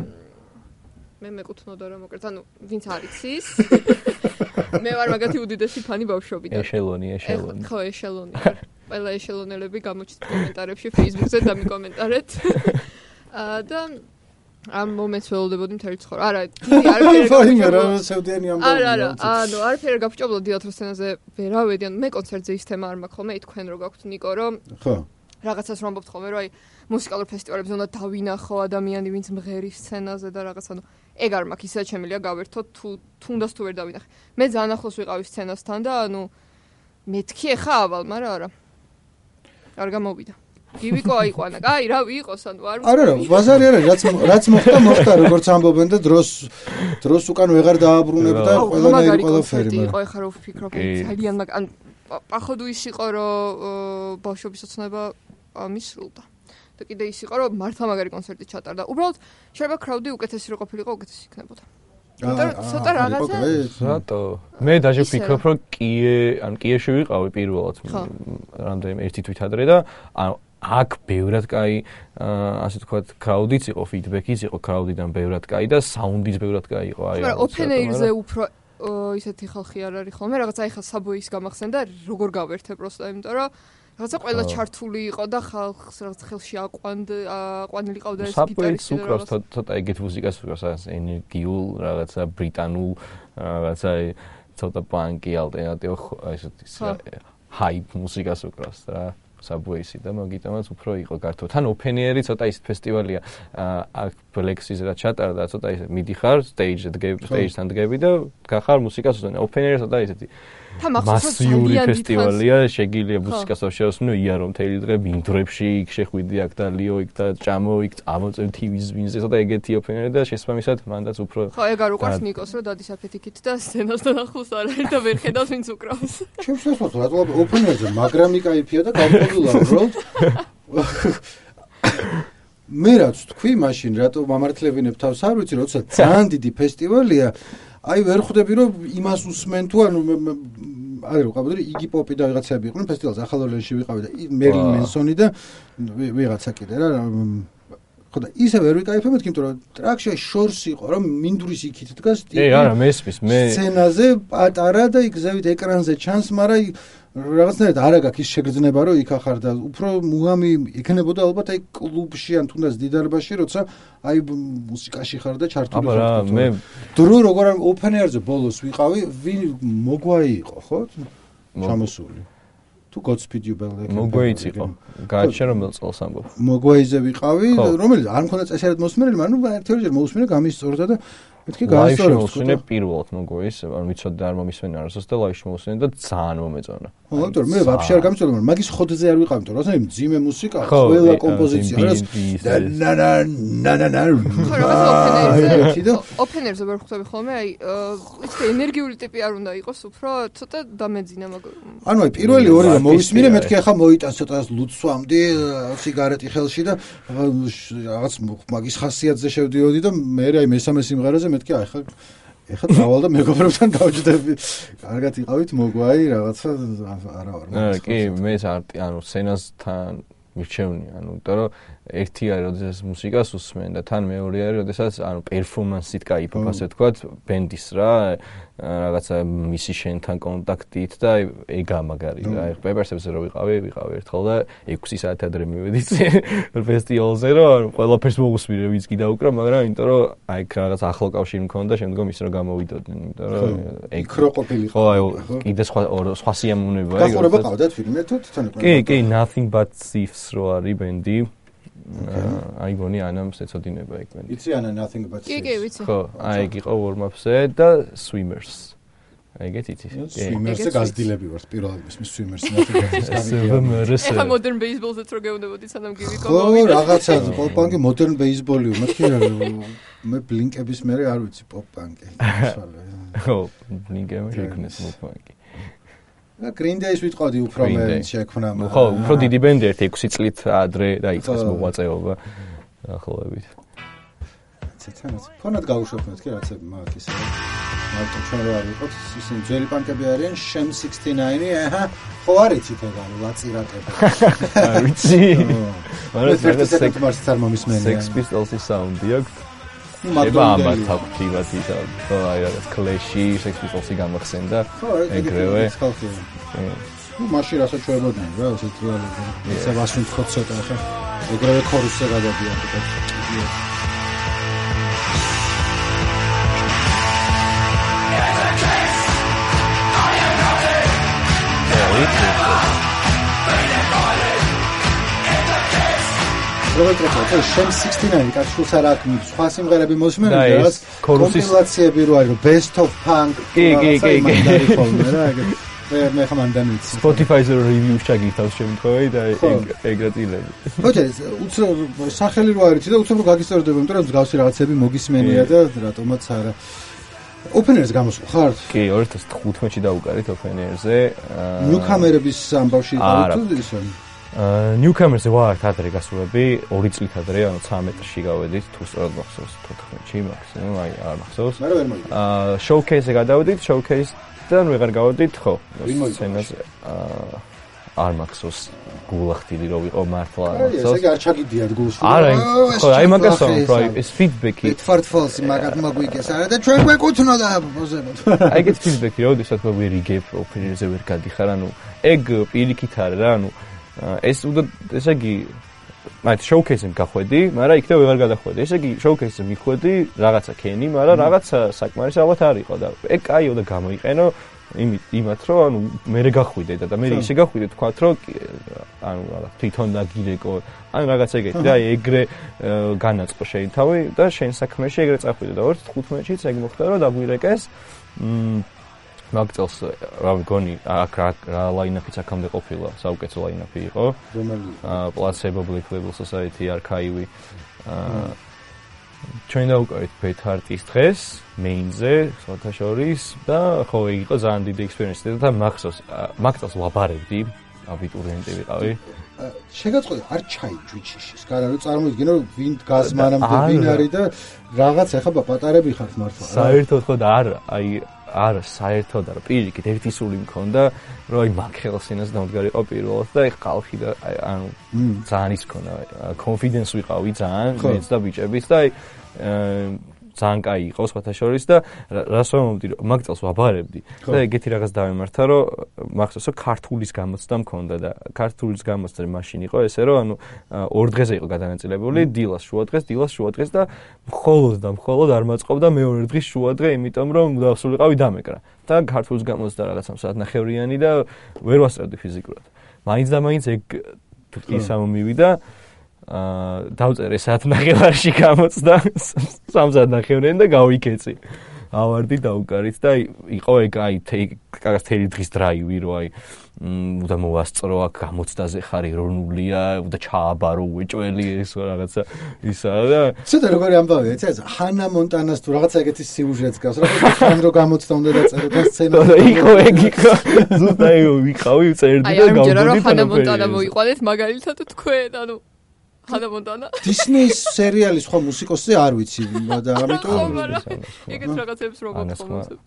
[SPEAKER 3] მე მეკუთვნოდა რა მოკლედ, ანუ ვინც არის ის. მე ვარ მაგათი უდიდესი ფანი ბავშვობიდან.
[SPEAKER 2] ეშელონი, ეშელონი.
[SPEAKER 3] ხო, ეშელონი ვარ. ყველა ეშელონელები გამოჩნდეთ კომენტარებში, Facebook-ზე დამიკომენტარეთ. აა და ამ მომენტს ველოდებოდი მთელი ცხოვრება. არა, დიდი არაფერი
[SPEAKER 1] გაფუჭებლა. სევდიანი ამ
[SPEAKER 3] არა, არა, ანუ არაფერი გაფუჭებლა დიათრო სცენაზე ვერავედი, ანუ მე კონცერტზე ის თემა არ მაქვს ხოლმე, თქვენ რო გაქვთ ნიკო, რომ
[SPEAKER 1] ხო.
[SPEAKER 3] რაღაცას რომ ამბობთ ხოლმე, რომ აი მუსიკალურ ფესტივალებზე უნდა დავინახო ადამიანი, ვინც მღერის სცენაზე და რაღაც, ანუ ეგ არ მაქვს, ისე შემიძლია გავერთო თუ თუნდაც თუ ვერ დავინახე. მე ძალიან ახლოს ვიყავი სცენასთან და ანუ მეთქი ახლა ავალ, მაგრამ არა. არ გამოვიდა. გივიკო აიყვანა. აი, რა ვიყოს, ანუ არ
[SPEAKER 1] არა, არა, ბაზარი არა, რაც რაც მოხდა, მოხდა, როგორც ამბობენ და დროს დროს უკან ვეღარ დააბრუნებდა ყველანაირი ყველაფერი.
[SPEAKER 3] იყო ახლა რო ვფიქრობ, ძალიან მაგ ან პახოდუ ის იყო, რომ ბავშვობის ოცნება მისრულდა. და კიდე ის იყო, რომ მართლა მაგარი კონცერტი ჩატარდა. უბრალოდ შეიძლება კრაუდი უკეთესი რო ყოფილიყო, უკეთესი იქნებოდა. იმიტომ ცოტა რაღაცა
[SPEAKER 2] რატო? მე დაჟე ვფიქრობ, რომ კიე, ან კიეში ვიყავი პირველად რამდენიმე ერთი თვით ადრე და ანუ აქ ბევრად კაი, ასე ვთქვათ, კრაუდიც იყო, ფიდბექიც იყო კრაუდიდან ბევრად კაი და საუნდიც ბევრად კაი იყო. აი,
[SPEAKER 3] მაგრამ open air-ზე უფრო ისეთი ხალხი არ არის ხოლმე, რაღაცა ეხლა საბოის გამახსენდა, როგორ გავერთე პროსტა, იმიტომ რომ რაღაცა ყველა ჩართული იყო და ხალხს რაღაც ხელში აყვანდა, აყვანილი ყავდა ეს
[SPEAKER 2] გიტარისტი. საბოის უკრავს ცოტა ეგეთ მუსიკას უკრავს, რაღაც ენერგიულ, რაღაცა ბრიტანულ, რაღაცა ცოტა პანკი, ალტერნატივ, ესეთი ჰაიპ მუსიკას უკრავს რა. საბოისი და მაგიტომაც უფრო იყო გართო. თან open air-ი ცოტა ის ფესტივალია. აქ Black-ზე რა ჩატარდა, ცოტა ისე მიდიხარ stage-ზე, stage-თან დგები და გახარ მუსიკას უსმენ. open air-ი ცოტა ისეთი მასიური ფესტივალია, შეგიძლია მუსიკას შევსმინო იარო მთელი დღე მინდვრებში, იქ შეხვიდი აქ და ლიო იქ და ჭამო იქ, ამოწევ ტივის ვინზე, ცოტა ეგეთი open air-ი და შესაბამისად მანდაც უფრო
[SPEAKER 3] ხო, ეგ არ უყვარს ნიკოს, რომ დადის აფეთიქით და სცენასთან ახლოს არ არის და ვერ ხედავს ვინც უკრავს.
[SPEAKER 1] ჩემს შესაძლოა, რატო open air-ზე მაგრამი кайფია და გავყოლულა უბრალოდ. მე რაც თქვი მაშინ, რატო მამართლებინებ თავს არ ვიცი, როცა ძალიან დიდი ფესტივალია, აი ვერ ხვდები რომ იმას უსმენ თუ ანუ აი რო ყავდა იგი პოპი და ვიღაცები იყვნენ ფესტივალზე ახალ ორლეანში ვიყავი და მერილ მენსონი და ვიღაცა კიდე რა ხო და ისე ვერ ვიკაიფებთ იმიტომ რომ ტრაქში შორს იყო რომ მინდვრის იქით დგას
[SPEAKER 2] ტიპი ე არა მესმის მე
[SPEAKER 1] სცენაზე პატარა და იქ ზევით ეკრანზე ჩანს მაგრამ რაღაცნაირად არ აქვს ის შეგრძნება რომ იქ ახარ და უფრო მუღამი იქნებოდა ალბათ აი კლუბში ან თუნდაც დიდარბაში როცა აი მუსიკაში ხარ და ჩართული
[SPEAKER 2] ხარ აბა მე
[SPEAKER 1] დრო როგორ open air-ზე ბოლოს ვიყავი ვინ მოგვაი იყო ხო ჩამოსული თუ Godspeed You Bell
[SPEAKER 2] მოგვაიც იყო გაჩერე რომელ წელს ამბობ
[SPEAKER 1] მოგვაიზე ვიყავი რომელიც არ მქონდა წესერად მოსმენელი მაგრამ ერთჯერ მოусმინე გამისწორდა და მეთქი გაასწორებს
[SPEAKER 2] მოსმენე პირველად მოგვაის ანუ ვიცოდი არ მომისმენე არასოს და ლაივში მოსმენე და ძალიან მომეწონა
[SPEAKER 1] ხო იმიტომ მე ვაფშე არ გამიწოდი მაგრამ მაგის ხოდზე არ ვიყავ იმიტომ რომ ძიმე მუსიკა ყველა კომპოზიცია არის და ნა ნა ნა ნა
[SPEAKER 3] ნა open air-ზე ვერ ხვდები ხოლმე აი ვიცი ენერგიული ტიპი არ უნდა იყოს უფრო ცოტა დამეძინა მაგ
[SPEAKER 1] ანუ აი პირველი ორი რომ მოვისმინე მეთქი ახლა მოიტან ცოტა ლუცვამდი სიგარეტი ხელში და რაღაც მაგის ხასიათზე შევდიოდი და მე აი მესამე სიმღერაზე მეთქი აი ხა ეხლა დავალ და მეგობრებთან დავჯდები. კარგად იყავით მოგვაი რაღაცა არა ვარ.
[SPEAKER 2] არა კი მე ანუ სცენასთან მირჩევნი ანუ იმიტომ რომ ერთი არის როდესაც მუსიკას უსმენ და თან მეორე არის როდესაც ანუ პერფორმანსით кайფობ ასე ვთქვათ ბენდის რა რაღაცა მისი შენთან კონტაქტით და ეგა მაგარი რა აი პეპერსებზე რო ვიყავი ვიყავი ერთხელ და ექვსი საათი ადრე მივედი ფესტივალზე რომ ყველაფერს მოусმინე ვინც კი დაუკრა მაგრამ იმიტომ რომ აი რაღაც ახლო კავშირი მქონდა შემდგომ ის რომ გამოვიდოდნენ იმიტომ რომ
[SPEAKER 1] ეგ რო ყოფილიყო
[SPEAKER 2] ხო აი კიდე სხვა სხვა სიამოვნებაა
[SPEAKER 1] ეგ გახურება ყავდათ ფილმი თუ თვითონ იყო
[SPEAKER 2] კი კი Nothing But Thieves რო არის ბენდი აი გონი ანამ შეწოდინება ეგ ბენდი
[SPEAKER 1] იცი ანა Nothing But
[SPEAKER 3] კი კი ვიცი
[SPEAKER 2] ხო აი ეგ იყო warm-up-ზე და Swimmers აი ეგეთ იცი
[SPEAKER 1] Swimmers-ზე გაზდილები ვართ პირველად მის Swimmers Nothing
[SPEAKER 3] ეხა modern baseball-ზეც რო გეუნებოდი სანამ გივიკო
[SPEAKER 1] ხო რაღაცა პოპ-პანკი modern baseball-ი მეთქი მე ბლინკების მე არ ვიცი პოპ-პანკი
[SPEAKER 2] ხო ბლინკები შეგნეს პოპ-პანკი
[SPEAKER 1] და Green Day-ს ვიტყოდი უფრო მე შექმნა
[SPEAKER 2] ხო უფრო დიდი ბენდი ერთ ექვსი წლით ადრე დაიწყეს მოღვაწეობა ახლოვებით
[SPEAKER 1] ცეცანაც ფონად გავუშვებ მეთქი რაც მაგ ისე მარტო ჩვენ რა არის ხო ისინი ძველი პანკები არიან Sham sixty-nine აჰა ხო არიცით ეგ არის ლაწირაკები
[SPEAKER 2] არ ვიცი
[SPEAKER 1] მაგრამ ეს ერთ-ერთი სექტემბერში წარმომისმენია
[SPEAKER 2] Sex Pistols-ის საუნდი აქვს შეიძლება ამათ აქტივად ისა აი რაღაც კლეში Sex Pistols-ი გამახსენდა ეგრევე
[SPEAKER 1] ну машина საჩვენებოდნენ რა ესეთ რეალურად ისა ვასუნთქო ცოტა ხა ეგრევე ქორუსზე გადადიან თქო როგორც ვთქვი, შენ sixty-nine კაცს არ აქვს სხვა სიმღერები მოსმენია რაღაც კომპილაციები რო არის best of punk
[SPEAKER 2] კი კი კი
[SPEAKER 1] რა ეგ მე მე ხმანდანიც
[SPEAKER 2] Spotify-ზე review-ს ჩაგითავს შემთხვევით და ეგრეთილები.
[SPEAKER 1] ხოჭე, უცებ სახელი რო არის და უცებ რო გაგისწორდება, იმიტომ რომ მსგავსი რაღაცები მოგისმენია და რატომაც არა. Open-Air-ს გამოსხარ?
[SPEAKER 2] კი, two thousand fifteen-ში დაუკარით Open-Air-ზე.
[SPEAKER 1] Newcomer-ების ამბავში იყავით თუ ისე?
[SPEAKER 2] აა Newcomer-ზე ვარ თადრე გასულები, ორი წლით ადრე, ანუ thirteen-ში გავედით, თუ სწორად მახსოვს, fourteen-ში მაქსიმუმ, აი არ მახსოვს.
[SPEAKER 1] მე ვერ მოიგე.
[SPEAKER 2] აა Showcase-ზე გადავედით, Showcase-დან ვეღარ გავედით, ხო. სცენაზე აა არ მახსოვს გულახტილი რო ვიყო მართლა არ მახსოვს.
[SPEAKER 1] ესე არ ჩაგიდიათ გულში.
[SPEAKER 2] არა, ხო, აი მაგას ვამბობ, ეს feedback-ი.
[SPEAKER 1] Fart Falls-ი მაგათ მოგვიგეს, არა და ჩვენ გვეკუთვნოდა პოზებოთ.
[SPEAKER 2] აი ეგეთ feedback-ი როდესაც მოვირიგებ Open-Air-ზე ვერ გადიხარ, ანუ ეგ პირიქით არის რა, ანუ ეს უნდა ესე იგი მათ Showcase-ზე გახვედი, მაგრამ იქნებ ვეღარ გადახვედი. ესე იგი Showcase-ზე მიხვედი, რაღაცა ქენი, მაგრამ რაღაცა საკმარის ალბათ არ იყო და ეგ კაიო და გამოიყენო იმით იმათ რომ ანუ მე გახვიდე და მე ისე გახვიდე თქვათ რომ ანუ რა თვითონ დაგირეკო ან რაღაც ეგეთი და ეგრე განაწყო შენ თავი და შენ საქმეში ეგრე წახვიდე და two thousand fifteen-შიც ეგ მოხდა რომ დაგვირეკეს მაგ წელს რა მგონი აქ რა line-up-იც აქამდე ყოფილა საუკეთესო line-up-ი იყო აა Placebo, Black Label Society, Archive აა ჩვენ დავუკავით Pet Heart-ის დღეს main-ზე, სხვათა შორის და ხო იყო ძალიან დიდი experience-ი და მახსოვს მაგ წელს ვაბარებდი აბიტურიენტი ვიყავი.
[SPEAKER 1] შეგაწყოდი არ ჩაიჯვიჩიშის. გარა რომ წარმოიდგინო ვინ დგას მანამდე ვინ არის და რაღაც ახლა პატარები ხართ მართლა.
[SPEAKER 2] საერთოდ ხო და არა, აი არა საერთოდ არა პირიქით ერთი სული მქონდა რომ აი მაგ ხელსინას დამდგარიყო პირველად და აი ხალხი და ანუ ძალიან ის ქონა confidence ვიყავი ძალიან მეც და ბიჭებიც და აი ძალიან კაი იყო სხვათა შორის და რას ვამბობდი რომ მაგ წელს ვაბარებდი და ეგეთი რაღაც დავემართა რომ მახსოვს რომ ქართულის გამოცდა მქონდა და ქართულის გამოცდა მაშინ იყო ესე რომ ანუ ორ დღეზე იყო გადანაწილებული დილას შუა დღეს დილას შუა დღეს და მხოლოდ და მხოლოდ არ მაწყობდა მეორე დღის შუა დღე იმიტომ რომ დავსულიყავი დამეკრა და ქართულის გამოცდა რაღაცა საათნახევრიანი და ვერ ვასწრებდი ფიზიკურად მაინც და მაინც ეგ ისამ მივიდა აა დავწერე საათნახევარში გამოცდა სამსათნახევრიანი და გავიქეცი. ავარდი დაუკარით და იყო ეგ აი კაკას თელი დღის დრაივი რო აი უნდა მოვასწრო აქ გამოცდაზე ხარი რონულია და ჩააბარო უეჭველი ეს რაღაცა ისა და
[SPEAKER 1] ცოტა როგორი ამბავია ეს ჰანა მონტანას თუ რაღაცა ეგეთი სიუჟეტს გავს რა ხან რო გამოცდა უნდა დაწერო და სცენა
[SPEAKER 2] იყო ეგ იყო ზუსტად ვიყავი წერდი და გავდივდი
[SPEAKER 3] აი ამჯერად ჰანა მონტანა მოიყვანეთ მაგალითად თქვენ ანუ ჰანა მონტანა
[SPEAKER 1] დისნეის სერიალის ხო მუსიკოსი არ ვიცი და ამიტომ
[SPEAKER 3] ეგეთ რაღაცებს როგორ თხოვნოსებ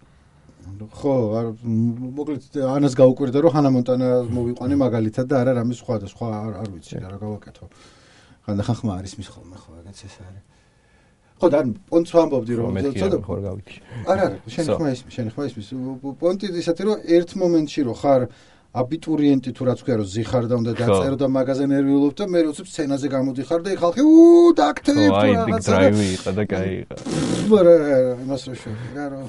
[SPEAKER 1] ხო არ მოკლედ ანას გაუკვირდა რომ ჰანა მონტანა მოვიყვანე მაგალითად და არა რამე სხვა და სხვა არ ვიცი რა გავაკეთო ხანდახან ხმა არის მის ხოლმე ხო ეგეც ეს არის ხო და პონტს ვამბობდი რომ
[SPEAKER 2] ცოტა ხარ გავიქი
[SPEAKER 1] არა არა შენ ხმა ის შენ ხმა ის პონტი ისეთი რომ ერთ მომენტში რო ხარ აბიტურიენტი თუ რაც ქვია რომ ზიხარ და უნდა დაწერო და მაგაზე ნერვიულობ და მე როცა სცენაზე გამოდიხარ და ხალხი უ დაქტებ
[SPEAKER 2] თუ რაღაცა აი დრაივი იყო და კაი იყო
[SPEAKER 1] არა იმას რო შეგა რომ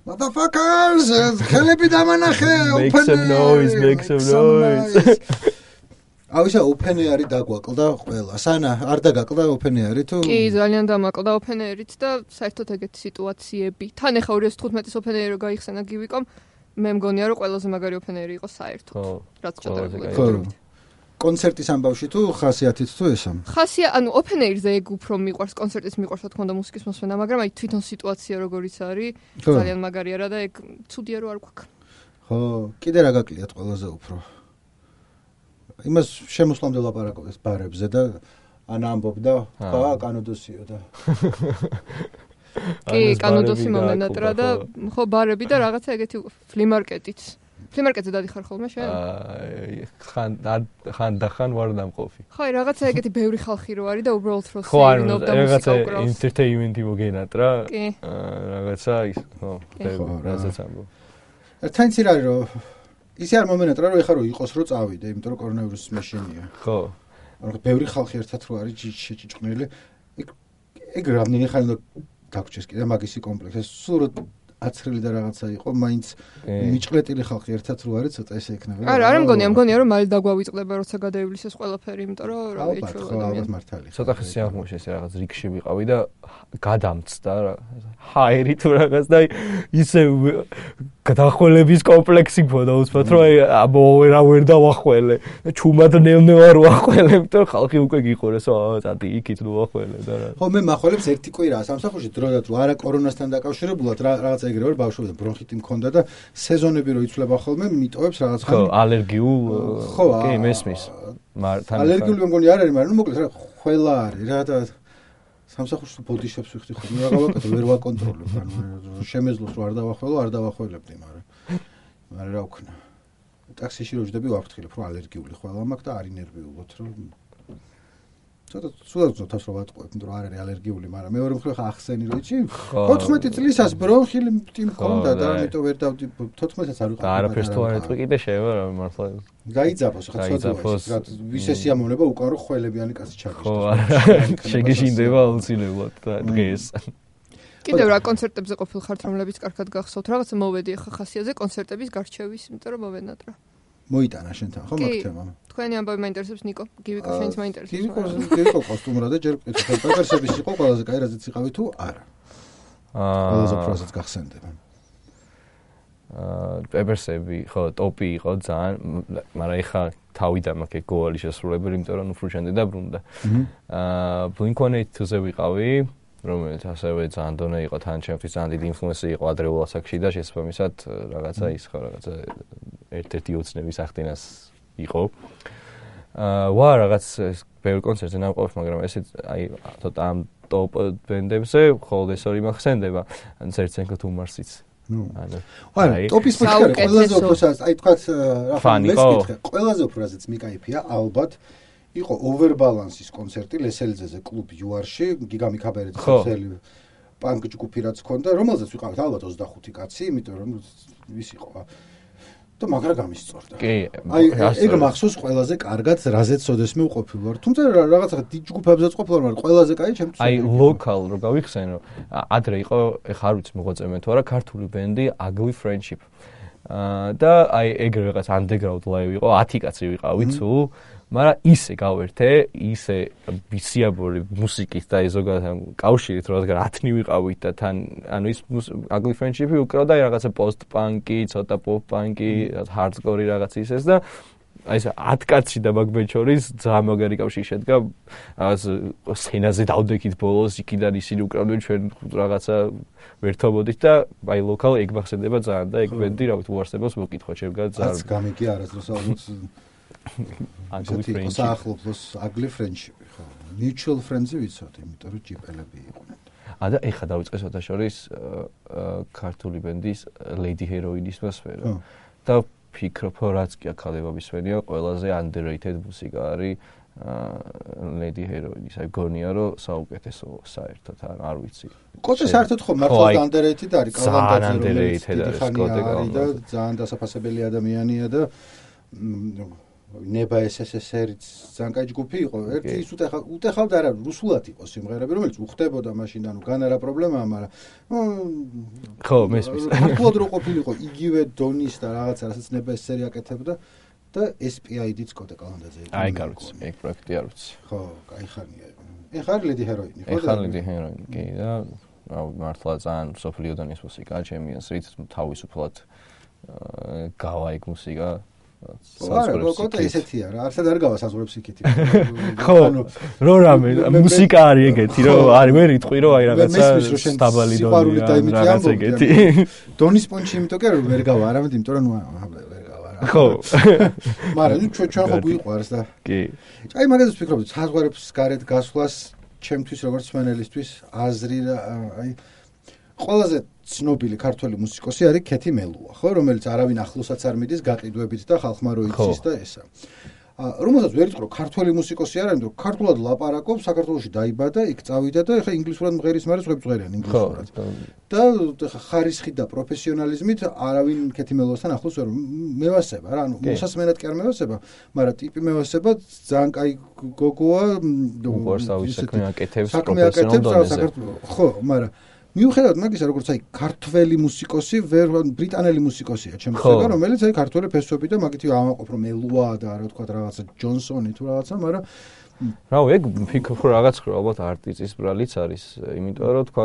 [SPEAKER 1] motherfuckers ხელები დამანახე
[SPEAKER 2] make some noise make some noise
[SPEAKER 1] აუშა Open-Air-ი დაგვაკლდა ყველა სანა არ დაგაკლდა Open-Air-ი თუ
[SPEAKER 3] კი ძალიან დამაკლდა Open-Air-ით და საერთოდ ეგეთი სიტუაციები თან ახლა two thousand fifteen-ის Open-Air-ი რო გაიხსენა გივიკომ მე მგონია რომ ყველაზე მაგარი Open-Air-ი იყო საერთოდ რაც ჩატარებული
[SPEAKER 1] ხო კონცერტის ამბავში თუ ხასიათით თუ ესა
[SPEAKER 3] ხასია ანუ Open-Air-ზე ეგ უფრო მიყვარს კონცერტის მიყვარს რა თქმა უნდა მუსიკის მოსმენა მაგრამ აი თვითონ სიტუაცია როგორიც არის ძალიან მაგარია რა და ეგ ცუდია რომ არ გვაქვს
[SPEAKER 1] ხო კიდე რა გაკლიათ ყველაზე უფრო იმას შემოსვლამდე ლაპარაკობდეს ბარებზე და ანა ამბობდა ხა კანოდოსიო და
[SPEAKER 3] კი კანოდოსი მომენატრა და ხო ბარები და რაღაცა ეგეთი ფლიმარკეტიც ფლიმარკეტზე დადიხარ ხოლმე შენ?
[SPEAKER 2] აა ხან ხან და ხან ვარ დამყოფი.
[SPEAKER 3] ხო, რაღაცა ეგეთი ბევრი ხალხი რო არის და უბრალოდ რო
[SPEAKER 2] სეირნობ და მუსიკა უკრავს. ენტერტეინმენტი მოგენატრა. აა რაღაცა ის, ხო, რაღაცა ამბობ.
[SPEAKER 1] ერთთან ის არის რომ ისე არ მომენატრა რომ ეხა რო იყოს რო წავიდე, იმიტომ რომ კორონავირუსის მეშენია.
[SPEAKER 2] ხო.
[SPEAKER 1] ანუ ბევრი ხალხი ერთად რო არის შეჭიჭყნილი. ეგ ეგ რამდენი ხანი უნდა დაგვრჩეს კიდე მაგისი კომპლექსი. სულ აცრილი და რაღაცა იყო, მაინც მიჭყლეტილი ხალხი ერთად რო არის, ცოტა ესე იქნება.
[SPEAKER 3] არა, არა მგონია, მგონია რომ მალე დაგვავიწყდება, როცა გადაივლის ეს ყველაფერი, იმიტომ რომ რა ვიცი,
[SPEAKER 1] მართალი.
[SPEAKER 2] ცოტა ხე სიაღმოში ესე რაღაც რიგში ვიყავი და გადამწდა რა. ჰაერი თუ რაღაც და ისე გადახველების კომპლექსი მქონდა უცბად რომ აი აბო რა ვერ დავახველე და ჩუმად ნელ-ნელა რო ახველე, იმიტომ ხალხი უკვე გიყურეს, აა წადი იქით რო ახველე და რა.
[SPEAKER 1] ხო, მე მახველებს ერთი კვირაა სამსახურში დროდადრო რომ არა კორონასთან დაკავშირებულად რაღაცა ეგრევე ბავშვობიდან ბრონხიტი მქონდა და სეზონები რო იცვლება ხოლმე, მიტოვებს რაღაც
[SPEAKER 2] ხო, ალერგიულ კი მესმის.
[SPEAKER 1] მართალია. ალერგიული მგონი არ არის, მაგრამ ნუ მოკლედ რა ხველა არის რა და სამსახურში ბოდიშებს ვიხდი ხოლმე რა გავაკეთო, ვერ ვაკონტროლებ, ანუ შემეძლოს რომ არ დავახველო, არ დავახველებდი, მაგრამ მაგრამ რა ვქნა. ტაქსიში რო ვждები ვაფრთხილებ, რომ ალერგიული ხველა მაქვს და არ ინერვიულოთ, რომ ცოტა სულ თავს რო ვატყუებ, იმიტომ რომ არ არის ალერგიული, მაგრამ მეორე მხრივ ხა ახსენი რო იცი, ოთხმეტი წლისას ბრონხილი მქონდა და ამიტომ ვერ დავდი თოთხმეტს არ ვიყავ.
[SPEAKER 2] და არაფერს თუ არ ეტყვი კიდე შევა რა მართლა.
[SPEAKER 1] გაიძაფოს ხა ცოტა რა ვისე სიამოვნება უკან რო ხველებიანი კაცი ჩაგიშ.
[SPEAKER 2] ხო, შეგეშინდება აუცილებლად და დღეს.
[SPEAKER 3] კიდევ რა კონცერტებზე ყოფილ ხართ, რომლებიც კარგად გახსოვთ, რაღაცა მოვედი ხა ხასიათზე კონცერტების გარჩევის, იმიტომ რომ მოვენატრა.
[SPEAKER 1] მოიტანა შენთან ხო მაგ თემა?
[SPEAKER 3] თქვენი ამბავი მაინტერესებს ნიკო, გივიკო შენც მაინტერესებს.
[SPEAKER 1] გივიკო გივიკო კოსტუმრა და ჯერ ყვითელ პეპერსების იყო ყველაზე კაი რაზეც იყავი თუ არა. აა ყველაზე პროცესს გახსენდება.
[SPEAKER 2] აა პეპერსები ხო ტოპი იყო ძალიან, მაგრამ ეხა თავიდან მაქვს გოალი შესრულებელი, იმიტომ რომ უფრო და ბრუნდა. აა Blink one eighty-two-ზე ვიყავი, რომელიც ასევე ძალიან დონე იყო, თან ჩემთვის ძალიან დიდი ინფლუენსი იყო ადრეულ ასაკში და შესაბამისად რაღაცა ის ხო რაღაცა ერთ-ერთი ოცნების ახდენას იყო. აა ვა რაღაც ბევრი კონცერტზე ნამყოფი, მაგრამ ესე აი ცოტა ამ ტოპ ბენდებზე ხოლმე ეს ორი მახსენდება, ან ცერცენკო თუ მარსიც.
[SPEAKER 1] ნუ აი ტოპის მუსიკა ყველაზე უფროსაც აი თქვა რა მესკითხე ყველაზე უფროსაც მიკაიფია ალბათ იყო overbalance-ის კონცერტი ლესელიძეზე კლუბ იუარში გიგამი ქაბერეძის ხელი პანკ ჯგუფი რაც ჰქონდა რომელზეც ვიყავით ალბათ ოცდახუთი კაცი იმიტომ რომ ვის იყო და მაგრა გამისწორდა
[SPEAKER 2] კი
[SPEAKER 1] აი ეგ მახსოვს ყველაზე კარგად რაზეც ოდესმე უყოფილ ვარ თუმცა რაღაცა დიდ ჯგუფებზეც ყოფილ ვარ ყველაზე კაი ჩემთვის
[SPEAKER 2] აი ლოკალ რო გავიხსენო ადრე იყო ეხა არ ვიცი მოღვაწემე თუ არა ქართული ბენდი Ugly Friendship აა და აი ეგრე რაღაც underground live იყო ათი კაცი ვიყავით თუ მაგრამ ისე გავერთე, ისე ბისიაბური მუსიკით და ზოგადად კავშირით, რადგან ათნი ვიყავით და თან ანუ ის Ugly Friendship-ი უკრავდა რაღაცა post-punk-ი, ცოტა pop-punk-ი, hardcore-ი რაღაც ისეს და აი ეს ათ კაცი და მაგბენ შორის ძალიან მაგარი კავშირი შედგა. რაღაც სცენაზე დავდექით ბოლოს, იქიდან ისინი უკრავდნენ ჩვენ რაღაცა ვერთობოდით და აი ლოკალ ეგ მახსენდება ძალიან და ეგ ბენდი რა ვიცი უარსებობს მოკითხვა ჩემგან ძალიან.
[SPEAKER 1] აც გამიკი არასდროს ალბათ
[SPEAKER 2] Ugly Friendship.
[SPEAKER 1] საახლობლოს Ugly Friendship, ხო. Mutual Friends-ი ვიცოთ, იმიტომ რომ ჯიპელები იყვნენ.
[SPEAKER 2] ა და ეხა დავიწყე სათა შორის ქართული ბენდის Lady Heroin-ის სფერო. და ფიქრობ, რაც კი ახალებების სფეროა, ყველაზე underrated მუსიკა არის Lady Heroin-ის. აი გონია რომ საუკეთესო საერთოდ არ ვიცი.
[SPEAKER 1] კოტე საერთოდ ხო მართლაც underrated არის, კალანდაძე რომელიც დიდი ხანია არის და ძალიან დასაფასებელი ადამიანია და ნება ეს ეს ესერიც ძალიან კაი ჯგუფი იყო. ერთი ის უტეხა უტეხავდა არა რუსულად იყო სიმღერები, რომელიც უხდებოდა მაშინ ანუ გან არა პრობლემაა, მაგრამ
[SPEAKER 2] ხო, მესმის.
[SPEAKER 1] მართლად რო ყოფილიყო იგივე დონის და რაღაცა რასაც ნება ესერი აკეთებდა და ეს პი აი დი-ც კოტე კალანდაძე იყო.
[SPEAKER 2] აი გარუც, ეგ პროექტი არ ვიცი.
[SPEAKER 1] ხო, კაი ხანია. ეხა Lady Heroin-ი, ხო?
[SPEAKER 2] ეხა Lady Heroin-ი, კი და აუ მართლა ძალიან სოფლიო დონის მუსიკა ჩემპიონსრით თავისუფლად გავა ეგ მუსიკა
[SPEAKER 1] არა, კოტე ისეთია რა, არსად არ გავა საზღვრებს იქითი.
[SPEAKER 2] ხო, რო რამე მუსიკა არის ეგეთი, რომ არის ვერ იტყვი რომ აი რაღაცა სტაბალი დონია, რაღაც ეგეთი.
[SPEAKER 1] დონის პონჩი იმიტომ კი რომ ვერ გავა, არამედ იმიტომ რომ ნუ ვერ გავა რა.
[SPEAKER 2] ხო.
[SPEAKER 1] მაგრამ ნუ ჩვენ ჩვენ ხო გვიყვარს და.
[SPEAKER 2] კი.
[SPEAKER 1] აი მაგაზეც ვფიქრობდი, საზღვრებს გარეთ გასვლას ჩემთვის როგორც მენელისთვის აზრი რა, აი ყველაზე ცნობილი ქართველი მუსიკოსი არის ქეთი მელუა, ხო, რომელიც არავინ ახლოსაც არ მიდის გაყიდვებით და ხალხმა რო იცის და ესა. რომელსაც ვერ იტყვი, რომ ქართველი მუსიკოსი არ არის, მაგრამ ქართულად ლაპარაკობს, საქართველოში დაიბადა, იქ წავიდა და ეხლა ინგლისურად მღერის, მაგრამ სხვებს მღერიან ინგლისურად. და ეხლა ხარისხით და პროფესიონალიზმით არავინ ქეთი მელუასთან ახლოს ვერ მევასება რა, ანუ მოსასმენად კი არ მევასება, მაგრამ ტიპი მევასება ძალიან კაი გოგოა,
[SPEAKER 2] უყურს თავის საქმე აკეთებს
[SPEAKER 1] პროფესიონალ დონეზე. ხო, მაგრამ მიუხედავად მაგისა, როგორც აი ქართველი მუსიკოსი, ვერ ბრიტანელი მუსიკოსია, ჩემს ხედავ, რომელიც აი ქართველი ფესვები და მაგითი ავაყოფ რომ ელუა და რა თქვა რაღაცა ჯონსონი თუ რაღაცა, მაგრამ
[SPEAKER 2] რავი, ეგ ფიქრობ რომ რაღაც ხო ალბათ არტისტის ბრალიც არის, იმიტომ რომ თქვა,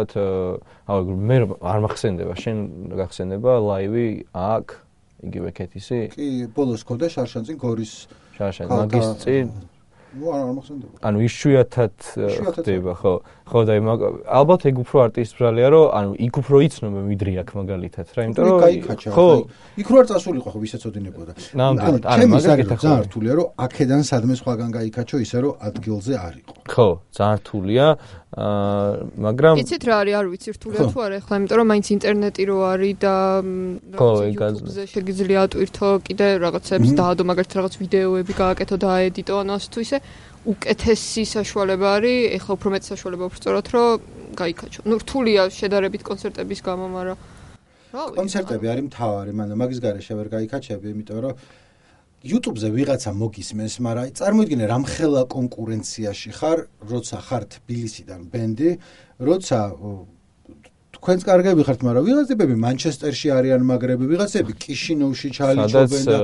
[SPEAKER 2] რავი, მე არ მახსენდება, შენ გახსენდება ლაივი აქ, იგივე ქეთისი?
[SPEAKER 1] კი, ბოლოს ხოდა შარშანწინ გორის
[SPEAKER 2] შარშან მაგის წინ
[SPEAKER 1] ნუ არ მახსენდება.
[SPEAKER 2] ანუ იშვიათად ხდება, ხო. ხო და ალბათ ეგ უფრო არტისტის ბრალია, რომ ანუ იქ უფრო იცნობენ ვიდრე აქ მაგალითად რა, იმიტომ რომ
[SPEAKER 1] ხო, იქ რო არ წასულიყო ხო ვისაც ოდინებოდა.
[SPEAKER 2] ნამდვილად,
[SPEAKER 1] არა, მაგალითად ძალიან რთულია, რომ აქედან სადმე სხვაგან გაიქაჩო ისე რომ ადგილზე არ იყო.
[SPEAKER 2] ხო, ძალიან რთულია, აა მაგრამ
[SPEAKER 3] იცით რა არის, არ ვიცი რთულია თუ არა, ახლა იმიტომ რომ მაინც ინტერნეტი რო არის და YouTube-ზე შეგიძლია ატვირთო კიდე რაღაცებს დაადო, მაგალითად რაღაც ვიდეოები გააკეთო და აედიტო, ანუ ასე თუ ისე უკეთესი საშუალება არის, ეხლა უფრო მეტი საშუალება უფრო სწორად რომ გაიქაჩო. ნუ რთულია შედარებით კონცერტების გამო, მაგრამ
[SPEAKER 1] კონცერტები არის მთავარი, მაგრამ მაგის გარეშე ვერ გაიქაჩები, იმიტომ რომ YouTube-ზე ვიღაცა მოგისმენს, მაგრამ აი წარმოიდგინე რამხელა კონკურენციაში ხარ, როცა ხარ თბილისიდან ბენდი, როცა თქვენც კარგები ხართ, მაგრამ ვიღაცები მანჩესტერში არიან მაგრები, ვიღაცები კიშინოვში ჩალიჩობენ და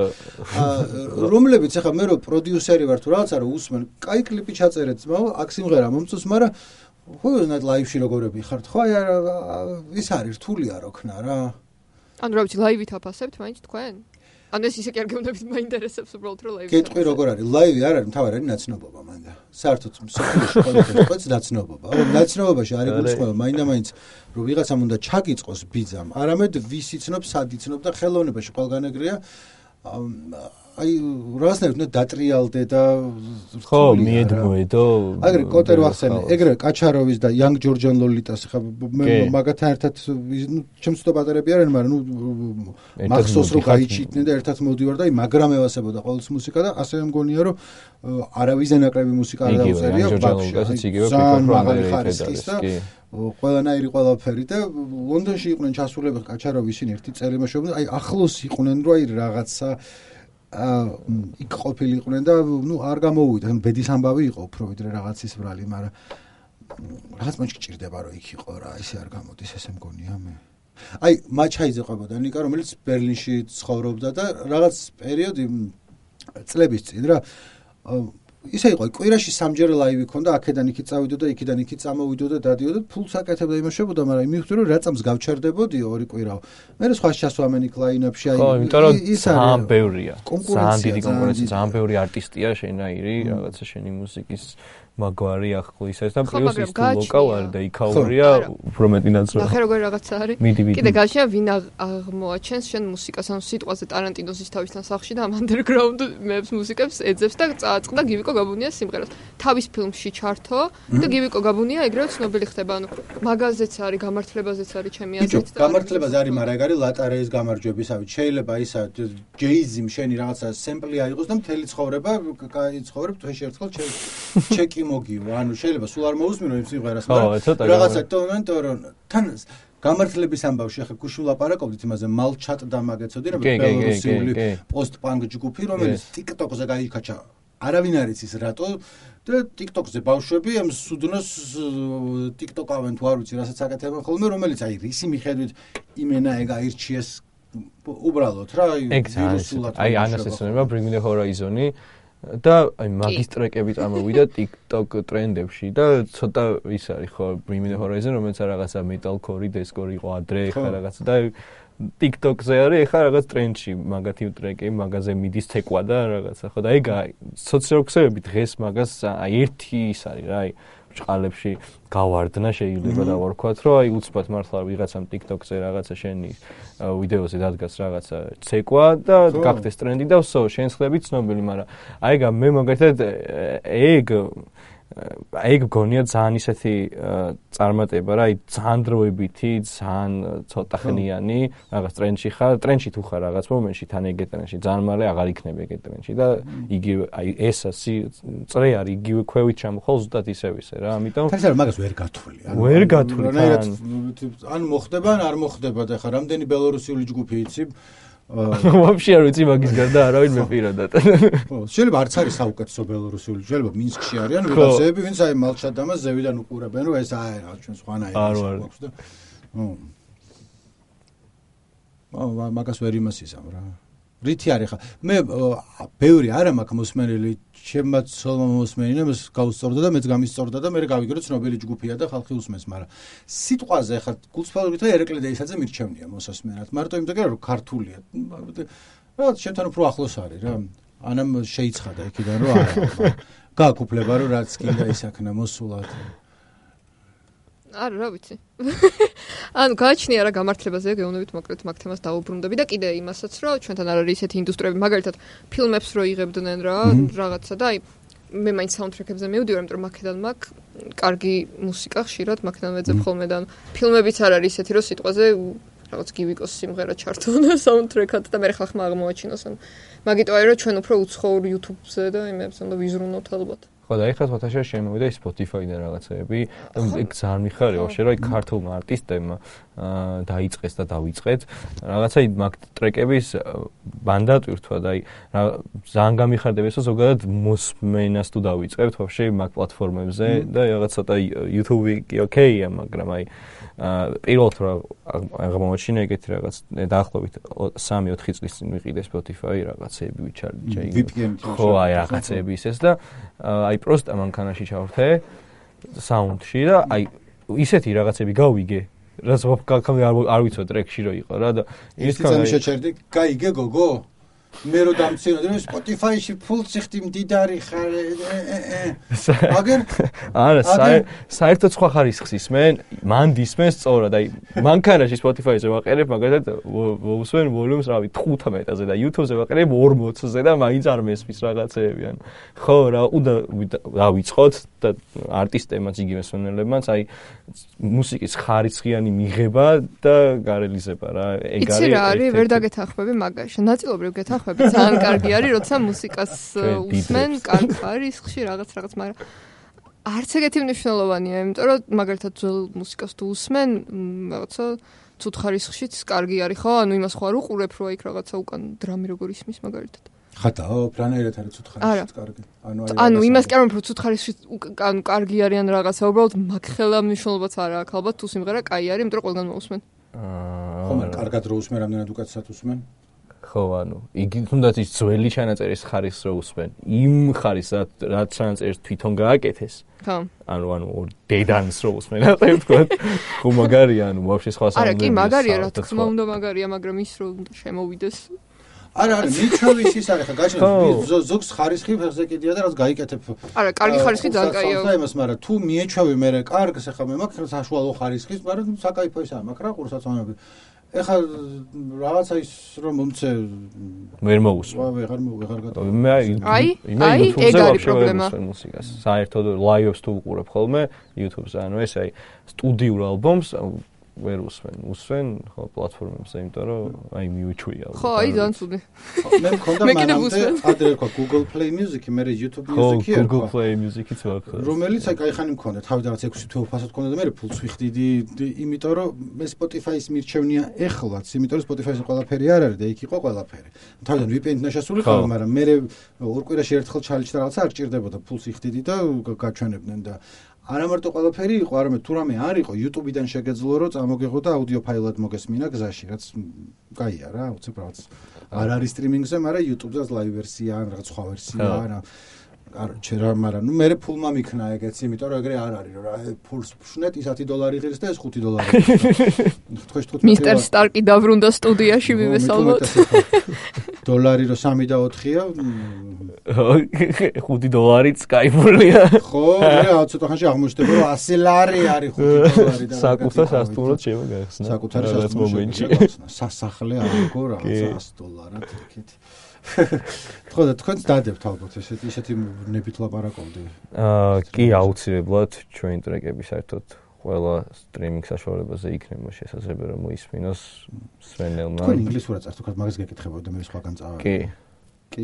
[SPEAKER 1] რომლებიც ახლა მე რო პროდიუსერი ვარ თუ რაღაცა რო უსმენ, კაი კლიპი ჩაწერეთ ძმაო, აქ სიმღერა მომწონს, მაგრამ ხუზნად ლაივში როგორები ხართ, ხო აი ის არის რთულია რო ქნა რა.
[SPEAKER 3] ანუ რა ვიცი, ლაივით აფასებთ მაინც თქვენ? ანუ ეს ისე კი არ გეუბნებით, მაინტერესებს უბრალოდ რომ ლაივი.
[SPEAKER 1] კეთყვი როგორ არის? ლაივი არ არის, მთავარი არის ნაცნობობა მანდა. საერთოდ მსოფლიოში ყოველთვის ნაცნობობა. ანუ ნაცნობობაში არის გულისხმობა, მაინდა-მაინც რომ ვიღაცამ უნდა ჩაგიწყოს ბიძამ, არამედ ვის იცნობს, სად იცნობს და ხელოვნებაში ყველგან ეგრეა. აი რაღაცნაირად უნდა დატრიალდე და
[SPEAKER 2] ხო მიედმოედო
[SPEAKER 1] აგრე კოტერ ვახსენე ეგრე კაჩაროვის და იანგ ჯორჯან ლოლიტას ხა მაგათან ერთად ნუ ჩემს ცოტა პატარები არიან მაგრამ ნუ მახსოვს რომ გაიჩიტნენ და ერთად მოვდივარ და აი მაგრამ ევასებოდა ყოველთვის მუსიკა და ასევე მგონია რომ არავის ნაკლები მუსიკა არ დაუწერია
[SPEAKER 2] ბაქში ძალიან
[SPEAKER 1] მაღალი ხარისხის და ყველანაირი ყველაფერი და ლონდონში იყვნენ ჩასულები კაჩაროვი ისინი ერთი წელი მაშობდნენ აი ახლოს იყვნენ რომ აი რაღაცა აა იქ ყოფილიყვნენ და ნუ არ გამოვიდა ბედის ამბავი იყო უფრო ვიდრე რაღაცის ბრალი მაგრამ რაღაც მაჩი ჭირდება რომ იქ იყო რა ისე არ გამოდის ესე მგონია მე აი მაჩაიძე ყვებოდა ნიკა რომელიც ბერლინში ცხოვრობდა და რაღაც პერიოდი წლების წინ რა ისე იყო კვირაში სამჯერ ლაივი ქონდა აქედან იქით წავიდო და იქიდან იქით წამოვიდო და დადიოდო ფულს აკეთებდა იმაშებოდა მაგრამ მივხვდი რომ რა წამს გავჩერდებოდიო ორი კვირაო მე რა სხვა შესვამენი კლაინაპში
[SPEAKER 2] აი ხო იმიტომ რომ ძალიან ბევრია ძალიან დიდი კონკურენცია ძალიან ბევრი არტისტია შენაირი რაღაცა შენი მუსიკის მაგვარი ახლო ისეს და პლუს ის ლოკალური და იქაურია უფრო მეტი ნაცრა
[SPEAKER 3] ახლა როგორ რაღაცა არის კიდე გაშია ვინ აღმოაჩენს შენ მუსიკას ან სიტყვაზე ტარანტინოს ის თავისთან სახში და ამ ანდერგრაუნდ მეებს მუსიკებს ეძებს და წააწყდა გივიკო გაბუნია სიმღერას თავის ფილმში ჩართო და გივიკო გაბუნია ეგრევე ცნობილი ხდება ანუ მაგაზეც არის გამართლებაზეც არის ჩემი აზრით
[SPEAKER 1] და გამართლებაზე არის მაგრამ ეგ არის ლატარეის გამარჯვებისავით შეიძლება ისა ჯეიზიმ შენი რაღაცა სემპლი აიღოს და მთელი ცხოვრება კაი ცხოვრებ თვეში ერთხელ ჩეკი მოგიო ანუ შეიძლება სულ არ მოусმინო იმ სიმღერას მაგრამ რაღაცა ტონანტო რომ თან გამართლების ამბავში ახლა გუშინ ლაპარაკობდით იმაზე მალჩატ და მაგეცოდი რომ ბელორუსიული პოსტ-პანკ ჯგუფი რომელიც TikTok-ზე გაიქაჩა არავინ არ იცის რატო და TikTok-ზე ბავშვები ამ სუდნოს TikTok-ავენ თუ არ ვიცი რასაც აკეთებენ ხოლმე რომელიც აი რისი მიხედვით იმენა ეგ აირჩიეს უბრალოდ რა
[SPEAKER 2] ვირუსულად აი ანასესონება Bring Me The Horizon-ი და აი მაგის ტრეკები წამოვიდა TikTok ტრენდებში და ცოტა ის არის ხო Bring Me The Horizon რომელიც რაღაცა metalcore დისკორი იყო ადრე ხა რაღაცა და TikTok-ზე არის ხა რაღაც ტრენდში მაგათი ტრეკი მაგაზე მიდის თეკვა და რაღაცა ხო და ეგ სოციალურ ქსელებში დღეს მაგას აი ერთი ის არის რა აი ჭყალებში გავარდნა შეიძლება და ვარქვათ რომ აი უცბად მართლა ვიღაცამ TikTok-ზე რაღაცა შენი ვიდეოზე დადგას რაღაცა ცეკვა და გახდეს ტრენდი და ვსო შენ ხლები ცნობილი მაგრამ აი მე მაგათად ეგ აი გონია ძალიან ისეთი წარმატება რა, აი ძალიან დროებითი, ძალიან ცოტა ხნიანი, რაღაც ტრენდში ხარ, ტრენდში თუ ხარ რაღაც მომენტში თან ეგ ტრენდში, ძალიან მალე აღარ იქნება ეგ ტრენდში და იგივე აი ეს წრე არის იგივე ქვევით ჩამოხვალ ზუსტად ისევ ისე რა, ამიტომ
[SPEAKER 1] თუმცა მაგას ვერ გათვლი.
[SPEAKER 2] ვერ გათვლი.
[SPEAKER 1] ან მოხდება, ან არ მოხდება და ხა რამდენი ბელორუსიული ჯგუფი იცი
[SPEAKER 2] ვაფშე არ ვიცი მაგის გარდა არავინ მე პირადად.
[SPEAKER 1] ხო, შეიძლება არც არის საუკეთესო ბელორუსიული, შეიძლება მინსკში არიან ვიღაცები, ვინც აი მალჩადამას ზევიდან უყურებენ, რომ ეს აი რა ჩვენ სხვანაირი აქვს და ო მაგას ვერ იმასისამ რა. რითი არის ხა? მე ბევრი არა მაქვს მოსმენელი, ჩემაც მოსმენილი, მას გავუსწორდა და მეც გამისწორდა და მე გავიგე რომ ცნობილი ჯგუფია და ხალხი უსმენს, მაგრამ სიტყვაზე ხა გულწრფელობით და ერეკლე დეისაძე მირჩევნია მოსასმენად. მარტო იმიტომ რომ ქართულია. რა შენთან უფრო ახლოს არის რა. ანამ შეიცხადა იქიდან რომ არა. გააკუფლება რომ რაც კიდე ისაქნა მოსულად.
[SPEAKER 3] არა, რა ვიცი. ანუ გააჩნია რა გამართლებაზე გეუბნებით მოკლედ მაგ თემას დაუბრუნდები და კიდე იმასაც რომ ჩვენთან არ არის ესეთი ინდუსტრიები, მაგალითად ფილმებს რო იღებდნენ რა, რაღაცა და აი მე მაინც საუნდტრეკებზე მივდივარ, იმიტომ რომ მაქედან მაქვს კარგი მუსიკა ხშირად მაქედან ვეძებ ხოლმე და ფილმებიც არ არის ესეთი რომ სიტყვაზე რაღაც გივიკოს სიმღერა ჩართონ საუნდტრეკად და მე ხალხმა აღმოაჩინოს ან მაგიტო აი რომ ჩვენ უფრო უცხოურ YouTube-ზე და იმებს უნდა ვიზრუნოთ ალბათ.
[SPEAKER 2] ხო და ეხლა ფოთაშა შემოვიდა Spotify-დან რაღაცეები და ეგ ძალიან მიხარია ვაფშე რომ აი ქართულმა არტისტებმა დაიწყეს და დავიწყეთ რაღაცა მაგ ტრეკების ბანდატვირთვა და აი ძალიან გამიხარდება ეს ზოგადად მოსმენას თუ დავიწყებთ ვაფშე მაგ პლატფორმებზე და რაღაც ცოტა YouTube-ი კი ოკეია მაგრამ აი პირველად რა აღმოაჩინა ეგეთი რაღაც დაახლოებით სამი ოთხი წლის წინ ვიყიდე Spotify რაღაცეები ვიჩარჯე ხო აი რაღაცეები ისეს და აი პროსტა მანქანაში ჩავრთე საუნდში და აი ისეთი რაღაცები გავიგე რაც ვაფკაკამი არ ვიცოდი ტრეკში რო იყო რა და
[SPEAKER 1] ის კაცი შეჩერდი გაიგე გოგო მე რო დამცინოდი რომ Spotify-ში ფულ ციხტი მდიდარი ხარ აგერ
[SPEAKER 2] არა საერთოდ სხვა ხარისხს ისმენ მან დისმენს სწორად აი მანქანაში Spotify-ზე ვაყერებ მაგალითად ვუსვენ ვოლიუმს რავი თხუთმეტაზე და YouTube-ზე ვაყერებ ორმოცზე და მაინც არ მესმის რაღაცეები ან ხო რა უნდა დავიწყოთ და არტისტებმაც იგივე მსმენელებმაც აი მუსიკის ხარისხიანი მიღება და გარელიზება რა
[SPEAKER 3] ეგ არის იცი რა არის ვერ დაგეთანხმები მაგაში ნაწილობრივ გეთანხმები ძალიან კარგი არის როცა მუსიკას უსმენ კარგ ხარისხში რაღაც რაღაც მაგრამ არც ეგეთი მნიშვნელოვანია იმიტომ რომ მაგალითად ძველ მუსიკას თუ უსმენ რაღაცა ცუდ ხარისხშიც კარგი არის ხო ანუ იმას ხო არ უყურებ რომ იქ რაღაცა უკან დრამი როგორ ისმის მაგალითად
[SPEAKER 1] ხატაო პრანერეთ არის ცუდ ხარისხიც კარგი
[SPEAKER 3] ანუ ანუ იმას კი არ რომ ცუდ ხარისხში ანუ კარგი არიან რაღაცა უბრალოდ მაგხელა მნიშვნელობაც არ აქვს ალბათ თუ სიმღერა კაი არის იმიტომ რომ ყველგან მოусმენ
[SPEAKER 1] აა ხომ კარგად რო უსმენ რამდენად უკაცრად უსმენ
[SPEAKER 2] ხო ანუ იგი თუნდაც ის ძველი ჩანაწერის ხარისხს რო უსმენ იმ ხარისხს რაც ჩანაწერს თვითონ გააკეთეს
[SPEAKER 3] ხო
[SPEAKER 2] ანუ ანუ დედანს რო უსმენ ასე ვთქვათ ხო მაგარია ანუ ვაფშე სხვა საუნდები
[SPEAKER 3] არა კი მაგარია რა თქმა უნდა მაგარია მაგრამ ის რო უნდა შემოვიდეს
[SPEAKER 1] არა არა მიჩვევის ის არის ხა გაჩვენე ზოგს ხარისხი ფეხზე კიდია და რაც გაიკეთებ
[SPEAKER 3] არა კარგი ხარისხი ძალიან კაია
[SPEAKER 1] და იმას მაგრამ თუ მიეჩვევი მე კარგს ახლა მე მაქვს საშუალო ხარისხის მაგრამ საკაიფო ის არ მაქვს რა ყურსაცონები ეხლა რაღაცა ის რომ მომცე
[SPEAKER 2] ვერ მოусვა
[SPEAKER 1] ვეღარ ვეღარ გატოვე
[SPEAKER 2] მე
[SPEAKER 3] აი აი ეგ არის პრობლემა
[SPEAKER 2] მუსიკას საერთოდ ლაივებს თუ უყურებ ხოლმე YouTube-ზე ანუ ეს აი სტუდიურ ალბომს ვერ უსვენ უსვენ ხო პლატფორმებზე იმიტომ რომ აი მიუჩვია
[SPEAKER 3] ხო აი ძალიან ცუდი
[SPEAKER 1] მე მქონდა მანამდე ადრე თქვა Google Play Music-ი მე YouTube Music-ი
[SPEAKER 2] ხო Google Play Music-იც ვაქ
[SPEAKER 1] რომელიც აი კაიხანი მქონდა თავი რაღაც ექვსი თვე უფასოდ მქონდა და მე ფულს ვიხდიდი იმიტომ რომ მე Spotify-ის მირჩევნია ეხლაც იმიტომ რომ Spotify-ზე ყველაფერი არ არის და იქ იყო ყველაფერი თავიდან V P N-ით ნაშასული ხარ მაგრამ მე ორ კვირაში ერთხელ ჩალიჩდა რაღაცა არ ჭირდებოდა ფულს იხდიდი და გაჩვენებდნენ და არა მარტო ყველაფერი იყო, არამედ თუ რამე არ იყო, YouTube-დან შეგეძლო რომ წამოგეღო და აუდიო ფაილად მოგესმინა გზაში, რაც კაია რა, უცებ რაღაც. არ არის სტრიმინგზე, მაგრამ YouTube-ზე ლაივ ვერსია, რაღაც სხვა ვერსია, არა. არ ჩერა, მაგრამ ნუ მე ფულმა მიქნა ეგეც, იმიტომ რომ ეგრე არ არის, რა ფულს ვშნეთ ის ათი დოლარი ღირს და ეს ხუთი დოლარი.
[SPEAKER 3] მისტერ სტარკი დაბრუნდა სტუდიაში, ვიმესალმოთ.
[SPEAKER 1] დოლარი რო სამი და ოთხია
[SPEAKER 2] ხუთი დოლარიც кайფულია
[SPEAKER 1] ხო რა ცოტა ხანში აღმოჩნდება რომ ასი ლარი არის ხუთი დოლარი და
[SPEAKER 2] საკუთარ სასტუმროდ შემოგახსნა
[SPEAKER 1] საკუთარი სასტუმროში სასახლე აიგო რაღაცა ასი დოლარად იქით ხო და თქვენც დადებთ ალბათ ესეთი ისეთი ნებით ლაპარაკობდი
[SPEAKER 2] აა კი აუცილებლად ჩვენი ტრეკები საერთოდ ყველა სტრიმინგ საშუალებაზე იქნება შესაძლებელი რომ მოისმინოს სვენელმა
[SPEAKER 1] თქვენ ინგლისურად წერთ თქო მაგას გეკითხებოდა მე სხვაგან წავ
[SPEAKER 2] კი
[SPEAKER 1] კი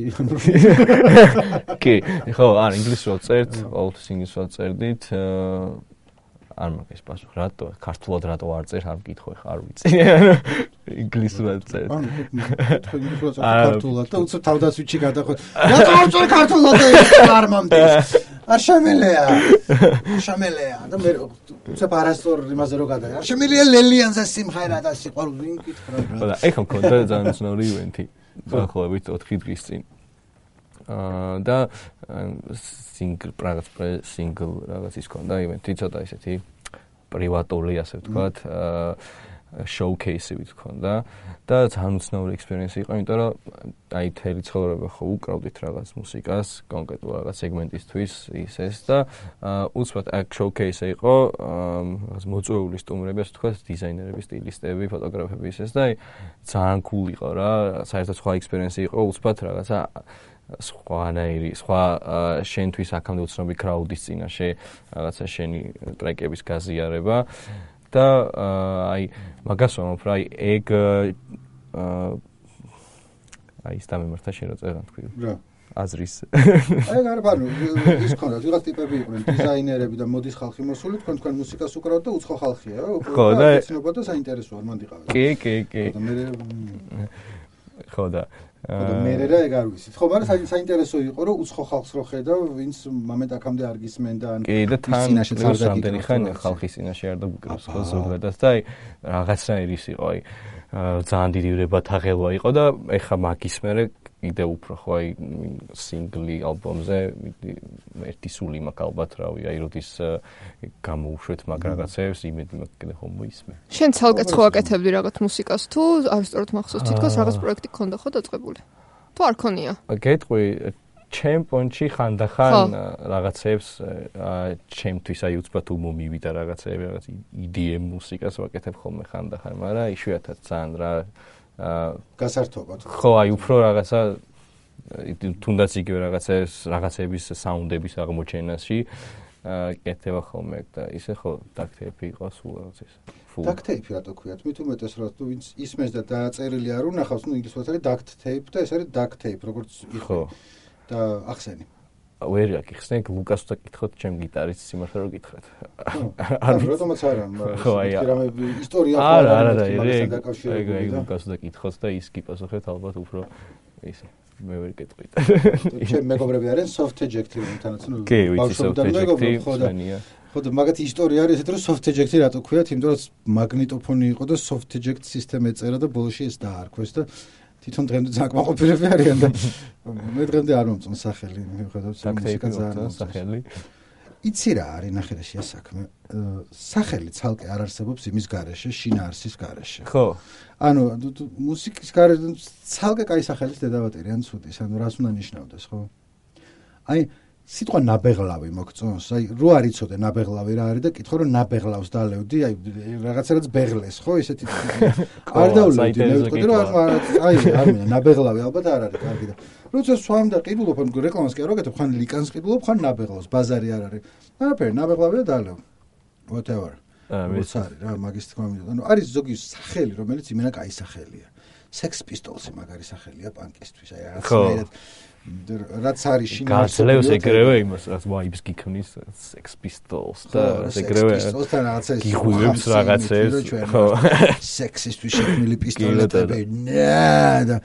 [SPEAKER 2] კი ხო არ ინგლისურად წერთ ყოველთვის ინგლისურად წერდით არ მაგის პასუხი რატო ქართულად რატო არ წერ არ მკითხო ხა არ ვიცი ინგლისურად წერთ
[SPEAKER 1] ანუ თქვენ ინგლისურად წერთ ქართულად და უცებ თავდასვიჩი გადახო რატო არ წერ ქართულად არ მომდის არ შემელია შემელია და მე უცებ არასწორ იმაზე რო გადაი არ შემელია ლელიანზე სიმღერა და სიყვარული ვინ კითხა რა
[SPEAKER 2] ხო და ეხლა მქონდა ძალიან ცნობილი ივენთი დაახლოებით ოთხი დღის წინ აა და სინგლ პრაგაც სინგლ რაღაც ის ქონდა ივენთი ცოტა ისეთი პრივატული ასე ვთქვათ აა შოუკეისი ვთქონდა და ძალიან უცნაური ექსპერიენსი იყო იმიტომ რომ აი თელი ცხოვრება ხო უკრავდით რაღაც მუსიკას კონკრეტულ რაღაც სეგმენტისთვის ის ეს და უცბად აქ შოუკეისი იყო რაღაც მოწვეული სტუმრები ასე ვთქვათ დიზაინერები სტილისტები ფოტოგრაფები ის ეს და აი ძალიან cool იყო რა საერთოდ სხვა ექსპერიენსი იყო უცბად რაღაცა სხვანაირი სხვა შენთვის აქამდე უცნობი კრაუდის წინაშე რაღაცა შენი ტრეკების გაზიარება და აი მაგას ვამბობ რა აი ეგ აი ის დამემართა შენ რო წერან თქვი
[SPEAKER 1] რა
[SPEAKER 2] აზრის
[SPEAKER 1] აი არა ბანო ის ქონდა ვიღაც ტიპები იყვნენ დიზაინერები და მოდის ხალხი მოსული თქვენ თქვენ მუსიკას უკრავთ და უცხო ხალხია
[SPEAKER 2] ხო და
[SPEAKER 1] ეცნობა და საინტერესო არ მანდიყავ
[SPEAKER 2] კი კი კი
[SPEAKER 1] და მე
[SPEAKER 2] ხო და
[SPEAKER 1] და მე რა ეგ არ ვიცით ხო მაგრამ საინტერესო იყო რომ უცხო ხალხს რო ხედავ ვინც მომენტ აქამდე არ გისმენდა ან
[SPEAKER 2] კი და თან რამდენი ხანი ხალხის წინაშე არ დაგუკრავს ხო ზოგადად და აი რაღაცნაირი ის იყო აი ძალიან დიდი ვრებათაღელვა იყო და ეხა მაგის მერე კიდე უფრო ხო აი სინგლი ალბომზე ერთი სული მაქვს ალბათ რავი აი როდის გამოუშვეთ მაგ რაღაცებს იმედი მაქვს კიდე ხომ მოისმე
[SPEAKER 3] შენ ცალკე ცხოვაკეთებდი რაღაც მუსიკას თუ არისტორად მახსოვს თითქოს რაღაც პროექტი გქონდა ხო დაწყებული თუ არ ქონია
[SPEAKER 2] გეტყვი ჩემპიონში ხანდახან რაღაცებს ჩემთვის აი უცბად უმომივიდა რაღაცები რაღაც იდეემ მუსიკას ვაკეთებ ხოლმე ხანდახან მაგრამ იშვიათად ძალიან რა
[SPEAKER 1] გასართობად
[SPEAKER 2] ხო აი უფრო რაღაცა თუნდაც იგივე რაღაცებს რაღაცების საუნდების აღმოჩენაში კეთება ხოლმე და ისე ხო დაქტეიფი იყო სულ რაღაც ის
[SPEAKER 1] დაქტეიფი რატო ქვიათ მით უმეტეს რა თუ ვინც ისმენს და დააწერილი არ უნახავს ნუ ინგლისურად არის დაქტეიფ და ეს არის დაქტეიფ როგორც იყო და ახსენი
[SPEAKER 2] ვერ აკიხსნე ლუკას და კითხოთ ჩემ გიტარისტს სიმართლე რომ გითხრათ
[SPEAKER 1] არ რატომაც არა
[SPEAKER 2] ხო აი
[SPEAKER 1] რამე ისტორია
[SPEAKER 2] არა არა არა ეგ ეგ ლუკას და კითხოთ და ის გიპასუხეთ ალბათ უფრო ისე მე ვერ გეტყვით
[SPEAKER 1] ჩემ მეგობრები არიან soft eject-ი თანაც ნუ
[SPEAKER 2] კი ვიცი soft eject-ი
[SPEAKER 1] ხო და მაგათი ისტორია არის ესეთ რომ soft eject-ი რატო ქვიათ იმიტომ რომ მაგნიტოფონი იყო და soft eject სისტემა ეწერა და ბოლოში ეს დაარქვეს და თვითონ დღემდე ძაკმაყოფილები არიან და მე დღემდე არ მომწონს სახელი მიუხედავად
[SPEAKER 2] მუსიკა ძალიან სახელი
[SPEAKER 1] იცი რა არის ნახერაში ეს საქმე სახელი ცალკე არ არსებობს იმის გარეშე შინაარსის გარეშე
[SPEAKER 2] ხო
[SPEAKER 1] ანუ მუსიკის გარეშე ცალკე კაი სახელის დედავატირი ან ცუდის ანუ რას უნდა ნიშნავდეს ხო აი სიტყვა ნაბეღლავი მოგწონს აი რო არ იცოდე ნაბეღლავი რა არის და კითხო რომ ნაბეღლავს დალევდი აი რაღაცა რაც ბეღლეს ხო ესეთი არ დავლევდი მე ვიტყოდი რომ აი არ მინდა ნაბეღლავი ალბათ არ არის კარგი და როცა სვამ და ყიდულობ ან რეკლამას კი არ ვაკეთებ ხან ლიკანს ყიდულობ ხან ნაბეღლავს ბაზარი არ არის არაფერი ნაბეღლავი და დალევ whatever ეს არის რა მაგის თქმა მინდა ანუ არის ზოგი სახელი რომელიც იმენა კაი სახელია Sex Pistols-ი მაგარი სახელია პანკისთვის აი რაღაცნაირად რაც არის შინაარსი
[SPEAKER 2] გასლევს ეგრევე იმას რაც ვაიბს გიქმნის Sex Pistols და ეგრევე გიღვივებს რაღაცებს ხო
[SPEAKER 1] სექსისტვის შექმნილი პისტოლეტები ნა და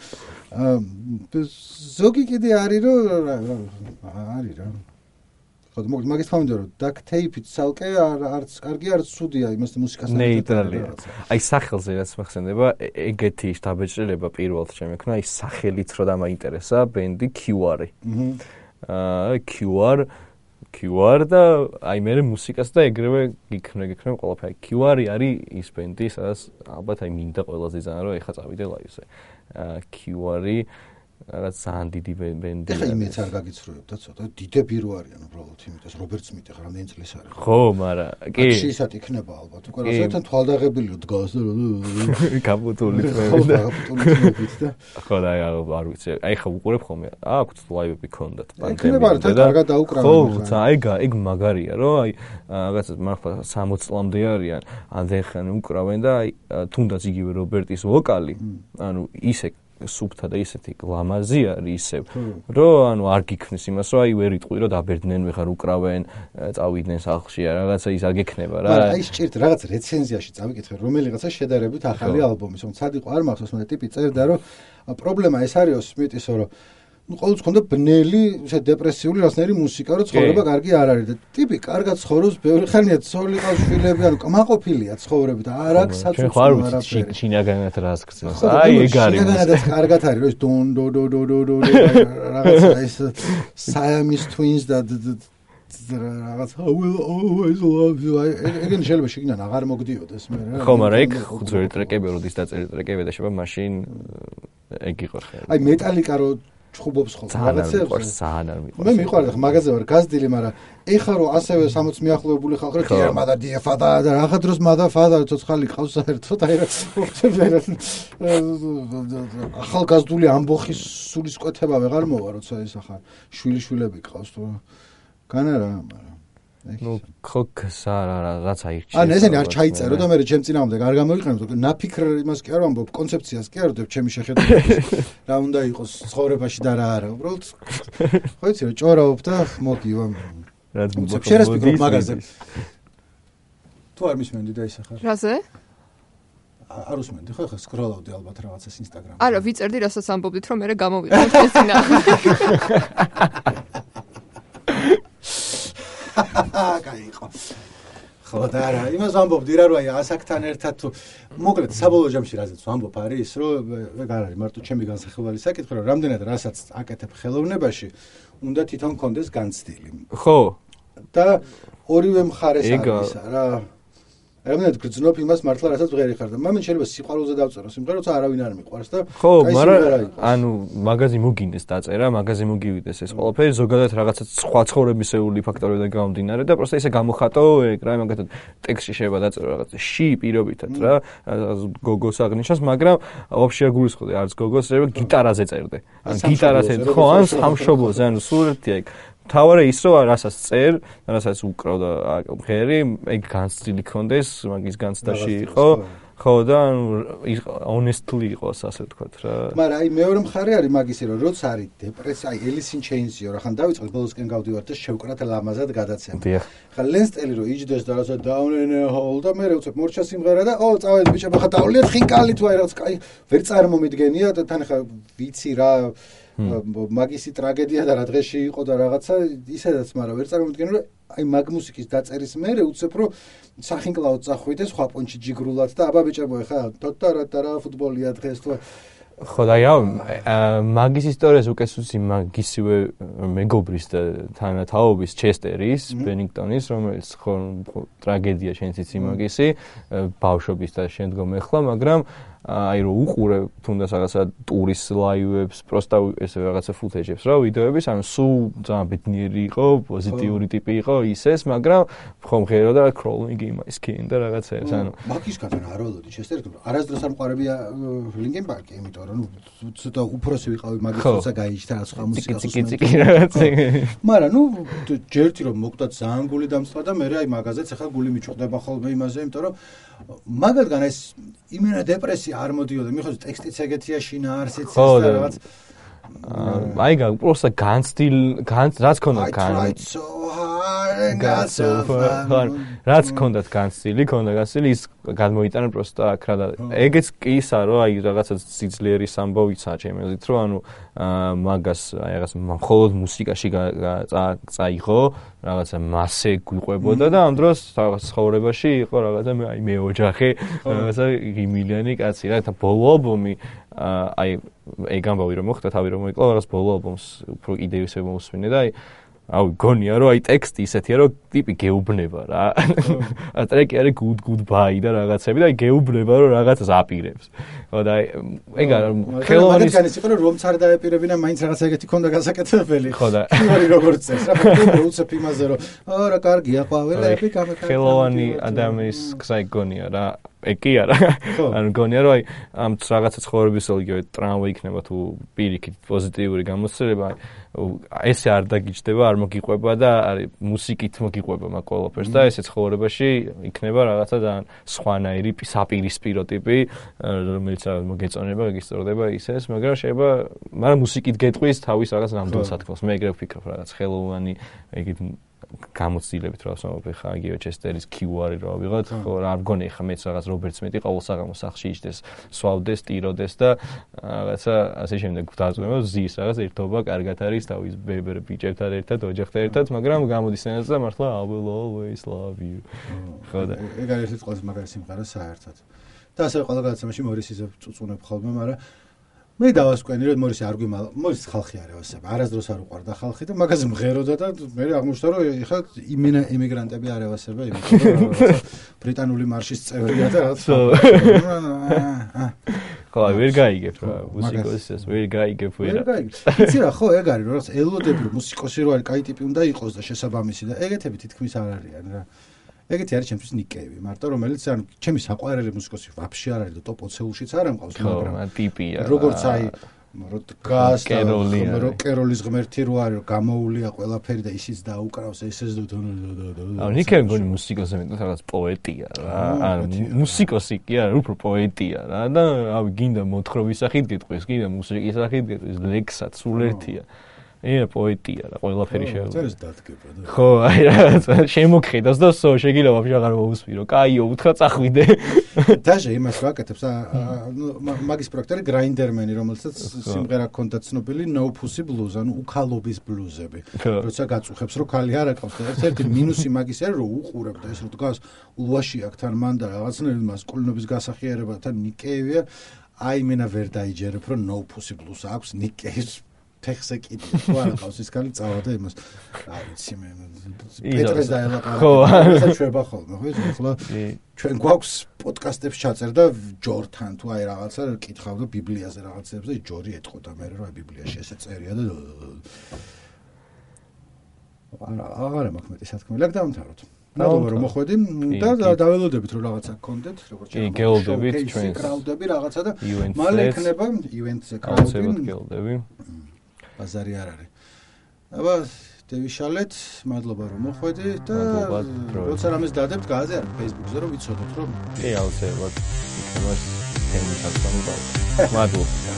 [SPEAKER 1] ზოგი კიდე არის რომ არის რა ხო მაგის თქმა უნდა რომ დაქტეიფით ცალკე არც კარგი არც ცუდია იმას მუსიკასთან
[SPEAKER 2] ნეიტრალია აი სახელზე რაც მახსენდება ეგეთი დაბეჭდილება პირველად შემექნა აი სახელით რო დამაინტერესა ბენდი კიუ არ-ი აა კიუ არ კიუ არ და აი მე მუსიკას და ეგრევე გიქნე გიქნე ყველაფერი კიუ არ-ი არის ის ბენდი სადაც ალბათ აი მინდა ყველაზე ძალიან რომ ეხა წავიდე ლაივზე აა კიუ არ-ი რაღაც ძალიან დიდი ბენდი.
[SPEAKER 1] ეხლა იმეც არ გაგიცრუებთ და ცოტა დიდები რო არიან უბრალოდ, იმიტომ რომ რობერტ სმიტი ხარ რამდენი წლის არის.
[SPEAKER 2] ხო, მაგრამ კი.
[SPEAKER 1] შეიძლება იქნება ალბათ. უკვე რასაც თვალდაღებილი დგას და
[SPEAKER 2] კაპუტული
[SPEAKER 1] თმები და კაპუტული თმებით და
[SPEAKER 2] ხო და არ ვიცი. აი ხა უყურებ ხოლმე. აქვთ ლაივები ქონდათ
[SPEAKER 1] პანდემია. და კარგად დაუკრავენ.
[SPEAKER 2] ხო, აი ეგ მაგარია, რომ აი რაღაცა მართლა სამოც წლამდე არიან, ამდენხანი უკრავენ და აი თუნდაც იგივე რობერტის ვოკალი, ანუ ისე სუფთა და ისეთი გლამაზი არის ისევ, რომ ანუ არ გიქნის имас, რომ აი ვერ იტყვი, რომ დაბერდნენ, ვეხარ უკრავენ, წავიდნენ სახლში, რაღაცა ის არ გექნება რა.
[SPEAKER 1] მაგრამ აი სჭირთ რაღაც რეცენზიაში წავიკითხე, რომელიღაცა შედარებით ახალი ალბომის, რომ ცად იყო არ მახსოვს, მაგრამ ტიპი წერდა, რომ პრობლემა ეს არის სმიტის, რომ ну ყოველთვის ხონდა ბნელი, ისე დეპრესიული რაღაცნაირი მუსიკა, რომ ცხოვრება კარგი არ არის და ტიპი კარგად ცხოვრობს, ბევრი ხანია ცოლი ყავს, შვილები, ანუ კმაყოფილია ცხოვრები და არ აქვს საწუწო არაფერი.
[SPEAKER 2] შინაგანად რას გწევს? აი ეგ არის.
[SPEAKER 1] შინაგანადაც კარგად არის, რომ ეს დონ დო დო დო დო დო რაღაცა ეს Siamese twins და რაღაც I will always love you. ეგენი შეიძლება შეგინან აღარ მოგდიოდეს მე რა.
[SPEAKER 2] ხო, მაგრამ ეგ ხუთი ტრეკები როდის დაწერილი ტრეკები და შევა მაშინ ეგ იყო ხელი.
[SPEAKER 1] აი მეტალიკა რო ჩხუბობს ხოლმე
[SPEAKER 2] რაღაცებს ძალიან არ მიყვარს.
[SPEAKER 1] მე მიყვარდა ხა მაგაზე ვარ გაზდილი, მაგრამ ეხა რო ასევე სამოცი მიახლოებული ხალხი რო კი მადა დიაფადა და რაღაცა დროს მადა ფადა ცოცხალი ყავს საერთოდ აი რა ახალგაზრდული ამბოხის სულისკვეთება ვეღარ მოვა, როცა ის ახლა შვილი-შვილები ყავს თუ განარა, მაგრამ
[SPEAKER 2] ну ხოქს არა რაც აირჩიეს.
[SPEAKER 1] ან ესენი არ ჩაიწერო და მე ჩემ წინააღმდეგ არ გამოიყენებო. ნაფიქრ იმას კი არ ვამბობ, კონცეფციას კი არ ვდებ ჩემი შეხედულებით. რა უნდა იყოს ცხოვრებაში და რა არა. უბრალოდ ხო იცი რა ჭორავობ და მოგივამ.
[SPEAKER 2] რაც
[SPEAKER 1] შეერას ფიქრობ მაგაზე. თუ არ მისმენდი და ის ახლა.
[SPEAKER 3] რაზე?
[SPEAKER 1] არ უსმენდი ხო ხა სკროლავდი ალბათ რაღაცას ინსტაგრამში.
[SPEAKER 3] არა, ვიწერდი რასაც ამბობდით, რომ მე გამოვიყავ ეს წინააღმდეგ.
[SPEAKER 1] გაიყო. ხო და რა, იმას ვამბობდი რა, რომ აი ასაკთან ერთად თუ მოკლედ საბოლოო ჯამში რაზეც ვამბობ არის, რომ ეგ არ არის მარტო ჩემი განსახილველი საკითხი, რომ რამდენად რასაც აკეთებ ხელოვნებაში, უნდა თვითონ კონდეს განცდილი.
[SPEAKER 2] ხო.
[SPEAKER 1] და ორივე მხარეს არის რა. რამდენად გრძნობ იმას მართლა რასაც ვღერი ხარ და მამენ შეიძლება სიყვარულზე დავწერო სიმღერა, როცა არავინ არ მიყვარს და
[SPEAKER 2] ხო, მაგრამ ანუ მაგაზი მოგინდეს დაწერა, მაგაზი მოგივიდეს ეს ყველაფერი, ზოგადად რაღაცა სხვა ცხოვრებისეული ფაქტორებიდან გამომდინარე და პროსტა ისე გამოხატო ეგ რა, მაგათად ტექსტში შეიძლება დაწერო რაღაცა ში პირობითად რა, გოგოს აღნიშნავს, მაგრამ ვაფშე არ გულისხმობდი არც გოგოს, შეიძლება გიტარაზე წერდე. ან გიტარაზე, ხო, ან სამშობლოზე, ანუ სურათია ეგ. თავარი ის რომ რასაც წერ, რასაც უკრავ და ხერი, ეგ განცდილი კონდეს, მაგის განცდაში იყო, ხო და honestly იყოს ასე ვთქვათ რა.
[SPEAKER 1] მაგრამ აი მეორე მხარე არის მაგისი რომ როცა არის დეპრესია, აი Alice in Chains-ი რა ხან დავიწყე ბოლოსკენ გავდივარ და შევკრათ ლამაზად გადაცემა. ხა ლენსტელი რომ იჯდეს და რაცა down in a hole და მე რევცებ მორჩა სიმღერა და ო წავედი ბიჭებო ხა დავლიეთ ხინკალი თუ აი რაღაც კაი ვერ წარმომიდგენია და თან ხა ვიცი რა მაგისი ტრაგედია და რა დღეში იყო და რაღაცა ისედაც, მაგრამ ვერ წარმოვიდგენ რომ აი მაგ მუსიკის დაწერის მერე უცებ რომ სახინკლაოდ წახვიდე სხვა პონჩი ჯიგრულად და აბა ბიჭებო ხა ტოტარატარა ფუტბოლია დღეს თუ
[SPEAKER 2] ხო და მაგის ისტორიას უკესუსი მაგისივე მეგობრის და თანათაობის ჩესტერის ბენინგტონის, რომელიც ხო ტრაგედია შენც იცი მაგისი ბავშვობის და შემდგომ ეხლა, მაგრამ აი რო უყურე თუნდაც რაღაცა ტურის ლაივებს, პროსტა ესე რაღაცა ფუტეჯებს რა, ვიდეოების, ანუ სულ ძალიან ბედნიერი იყო, პოზიტიური ტიპი იყო ისეს, მაგრამ ხომ ღერო და crawling in my skin და რაღაცეებს, ანუ
[SPEAKER 1] მაგისგან არ ველოდი ჩესტერი, არასდროს არ მყარებია Linkin Park-ი, იმიტომ რომ ცოტა უფროსი ვიყავი მაგის თორსა გაიჭდა რა სხვა მუსიკას
[SPEAKER 2] ციკი-ციკი რაღაცე.
[SPEAKER 1] მაგრამ ნუ ჯერთი რომ მოკვდა ძალიან გული დამწყდა და მე აი მაგაზეც ახლა გული მიჭუხდება ხოლმე იმაზე, იმიტომ რომ მაგალგან ეს იმენა დეპრესია არ მოდიოდა, მიხოს ტექსტიც ეგეთია შინაარსიც ეს და რაღაც
[SPEAKER 2] აი გა პროსტა განცდილ რაც ქონდა გან რაც ქონდათ განცდილი, ქონდა განცდილი ის გადმოიტანა პროსტა აქ რა და ეგეც კი ისა რომ აი რაღაცა სიძლიერის ამბავიცა ჩემი აზრით რომ ანუ მაგას აი რაღაც მხოლოდ მუსიკაში წაიღო რაღაცა მასე გვიყვებოდა და ამ დროს რაღაც ცხოვრებაში იყო რაღაცა აი მე ოჯახი რაღაცა მილიონი კაცი რა და ბოლო ალბომი აი ეგ ამბავი რომ მოხდა თავი რომ მოიკლა რაღაც ბოლო ალბომს უფრო იდეისე მომსვინე და აი აუ გონია რომ აი ტექსტი ისეთია რომ ტიპი გეუბნება რა. ა ტრეკი არის good goodbye და რაღაცები და აი გეუბნება რომ რაღაცას აპირებს. ხო და ეგ არა ხელოვანის
[SPEAKER 1] მაგალითად იყო რომ არ დაეპირებინა მაინც რაღაც ეგეთი ქონდა გასაკეთებელი.
[SPEAKER 2] ხო და
[SPEAKER 1] იმარი როგორც წეს რა ფაქტობრივად უცებ იმაზე რომ არა კარგია ყვავილები გამეკარგა.
[SPEAKER 2] ხელოვანი ადამიანის გზა გონია რა. ეგ კი არა. ანუ გონია რომ აი ამ რაღაცა ცხოვრების იგივე ტრამვა იქნება თუ პირიქით პოზიტიური გამოცდილება ესე არ დაგიჯდება, არ მოგიყვება და არის მუსიკით მოგიყვება მაგ ყველაფერს და ესე ცხოვრებაში იქნება რაღაცა ძალიან სხვანაირი საპირისპირო ტიპი, რომელიც მოგეწონება, გისწორდება ისეს, მაგრამ შეიძლება, მაგრამ მუსიკით გეტყვის თავის რაღაც ნამდვილ სათქმელს. მე ეგრე ვფიქრობ რაღაც ხელოვანი ეგეთ გამოცდილებით რა ვსვამობ ხა იგივე ჩესტერის კიუ-არი რა ვიღოთ, ხო არ მგონი ხა მეც რაღაც რობერტ სმიტი ყოველ საღამოს სახლში იჯდეს, სვავდეს, ტიროდეს და რაღაცა ასე შემდეგ დაძღვევა ზის რაღაც ერთობა კარგად არის თავის ბებერ ბიჭებთან ერთად, ოჯახთან ერთად, მაგრამ გამოდის ენაზე და მართლა I will always love you. ხო და
[SPEAKER 1] ეგ არის ეს ყველაზე მაგარი სიმღერა საერთოდ. და ასე ყველა გადაცემაში მორისიზე წუწუნებ ხოლმე, მაგრამ მე დავასკვენი რომ მორისი არ გვიმალ, მორისი ხალხი არ ევასება, არასდროს არ უყვარდა ხალხი და მაგაზე მღეროდა და მე აღმოჩნდა რომ ეხლა იმენა ემიგრანტები არ ევასება, იმიტომ რომ ბრიტანული მარშის წევრია და რაღაც.
[SPEAKER 2] ხო, ვერ გაიგებ რა, მუსიკოსის ვერ გაიგებ ვერ.
[SPEAKER 1] ვერ გაიგებ. იცი რა, ხო, ეგ არის, რომ რაღაც ელოდები რომ მუსიკოსი რო არის, კაი ტიპი უნდა იყოს და შესაბამისი და ეგეთები თითქმის არ არიან რა. ეგეთი არის ჩემთვის ნიკეევი, მარტო რომელიც ანუ ჩემი საყვარელი მუსიკოსი ვაფშე არ არის და ტოპ ოცეულშიც არ ამყავს, მაგრამ
[SPEAKER 2] ტიპია.
[SPEAKER 1] როგორც აი როკას და როკერულის ღმერთი რო არის, გამოულია ყველაფერი და ისიც დაუკრავს ესეც და
[SPEAKER 2] ანუ ნიკე მგონი მუსიკოსი მეტად რაღაც პოეტია რა. ანუ მუსიკოსი კი არა, უფრო პოეტია რა და ავი გინდა მოთხრობის სახით გეტყვის, გინდა მუსიკის სახით გეტყვის, ლექსად სულ ერთია. ია პოეტია რა ყველაფერი შეიძლება.
[SPEAKER 1] ეს დადგება და.
[SPEAKER 2] ხო, აი რა შემოგხედავს და სო შეგიძლია ვაფშე აღარ მოусვირო. კაიო, უთხრა წახვიდე.
[SPEAKER 1] დაჟე იმას ვაკეთებს, მაგის პროექტი გრაინდერმენი, რომელსაც სიმღერა ჰქონდა ცნობილი No Pussy Blues, ანუ უქალობის ბლუზები. როცა გაწუხებს, რომ ქალი არ აკავს და ერთ-ერთი მინუსი მაგის არის, რომ უყურებ და ეს რო დგას ულვაში აქთან მან და რაღაცნაირად მასკულინობის გასახიერებათან ნიკეევია, აი მენა ვერ დაიჯერებ, რომ No Pussy Blues აქვს ნიკეის ფეხზე კიდე თუ არ ყავს ის კალი წავა და იმას რა ვიცი მე პეტრეს დაელაპარაკე ხო საჩვევა ხოლმე ხო ახლა ჩვენ გვაქვს პოდკასტებს ჩაწერ და ჯორთან თუ აი რაღაცა კითხავ და ბიბლიაზე რაღაცებს და ჯორი ეთყოდა მე რა ბიბლიაში ესე წერია და არა აღარ მაქვს მეტი სათქმელი აქ დავამთავროთ ნაკლუბ რომ მოხვედი და დაველოდებით რომ რაღაცა გქონდეთ როგორც
[SPEAKER 2] კი გეოლდებით ჩვენს
[SPEAKER 1] კრაუდები რაღაცა და მალე იქნება ივენტზე
[SPEAKER 2] კრაუდები
[SPEAKER 1] ბაზარი არ არის. აბა დევიშალეთ, მადლობა რომ მოხვედი და როცა რამეს დადებთ, გააზიარეთ Facebook-ზე რომ ვიცოდოთ რომ
[SPEAKER 2] კი აუცილებლად იქნება თემის აღსანიშნავი. მადლობა.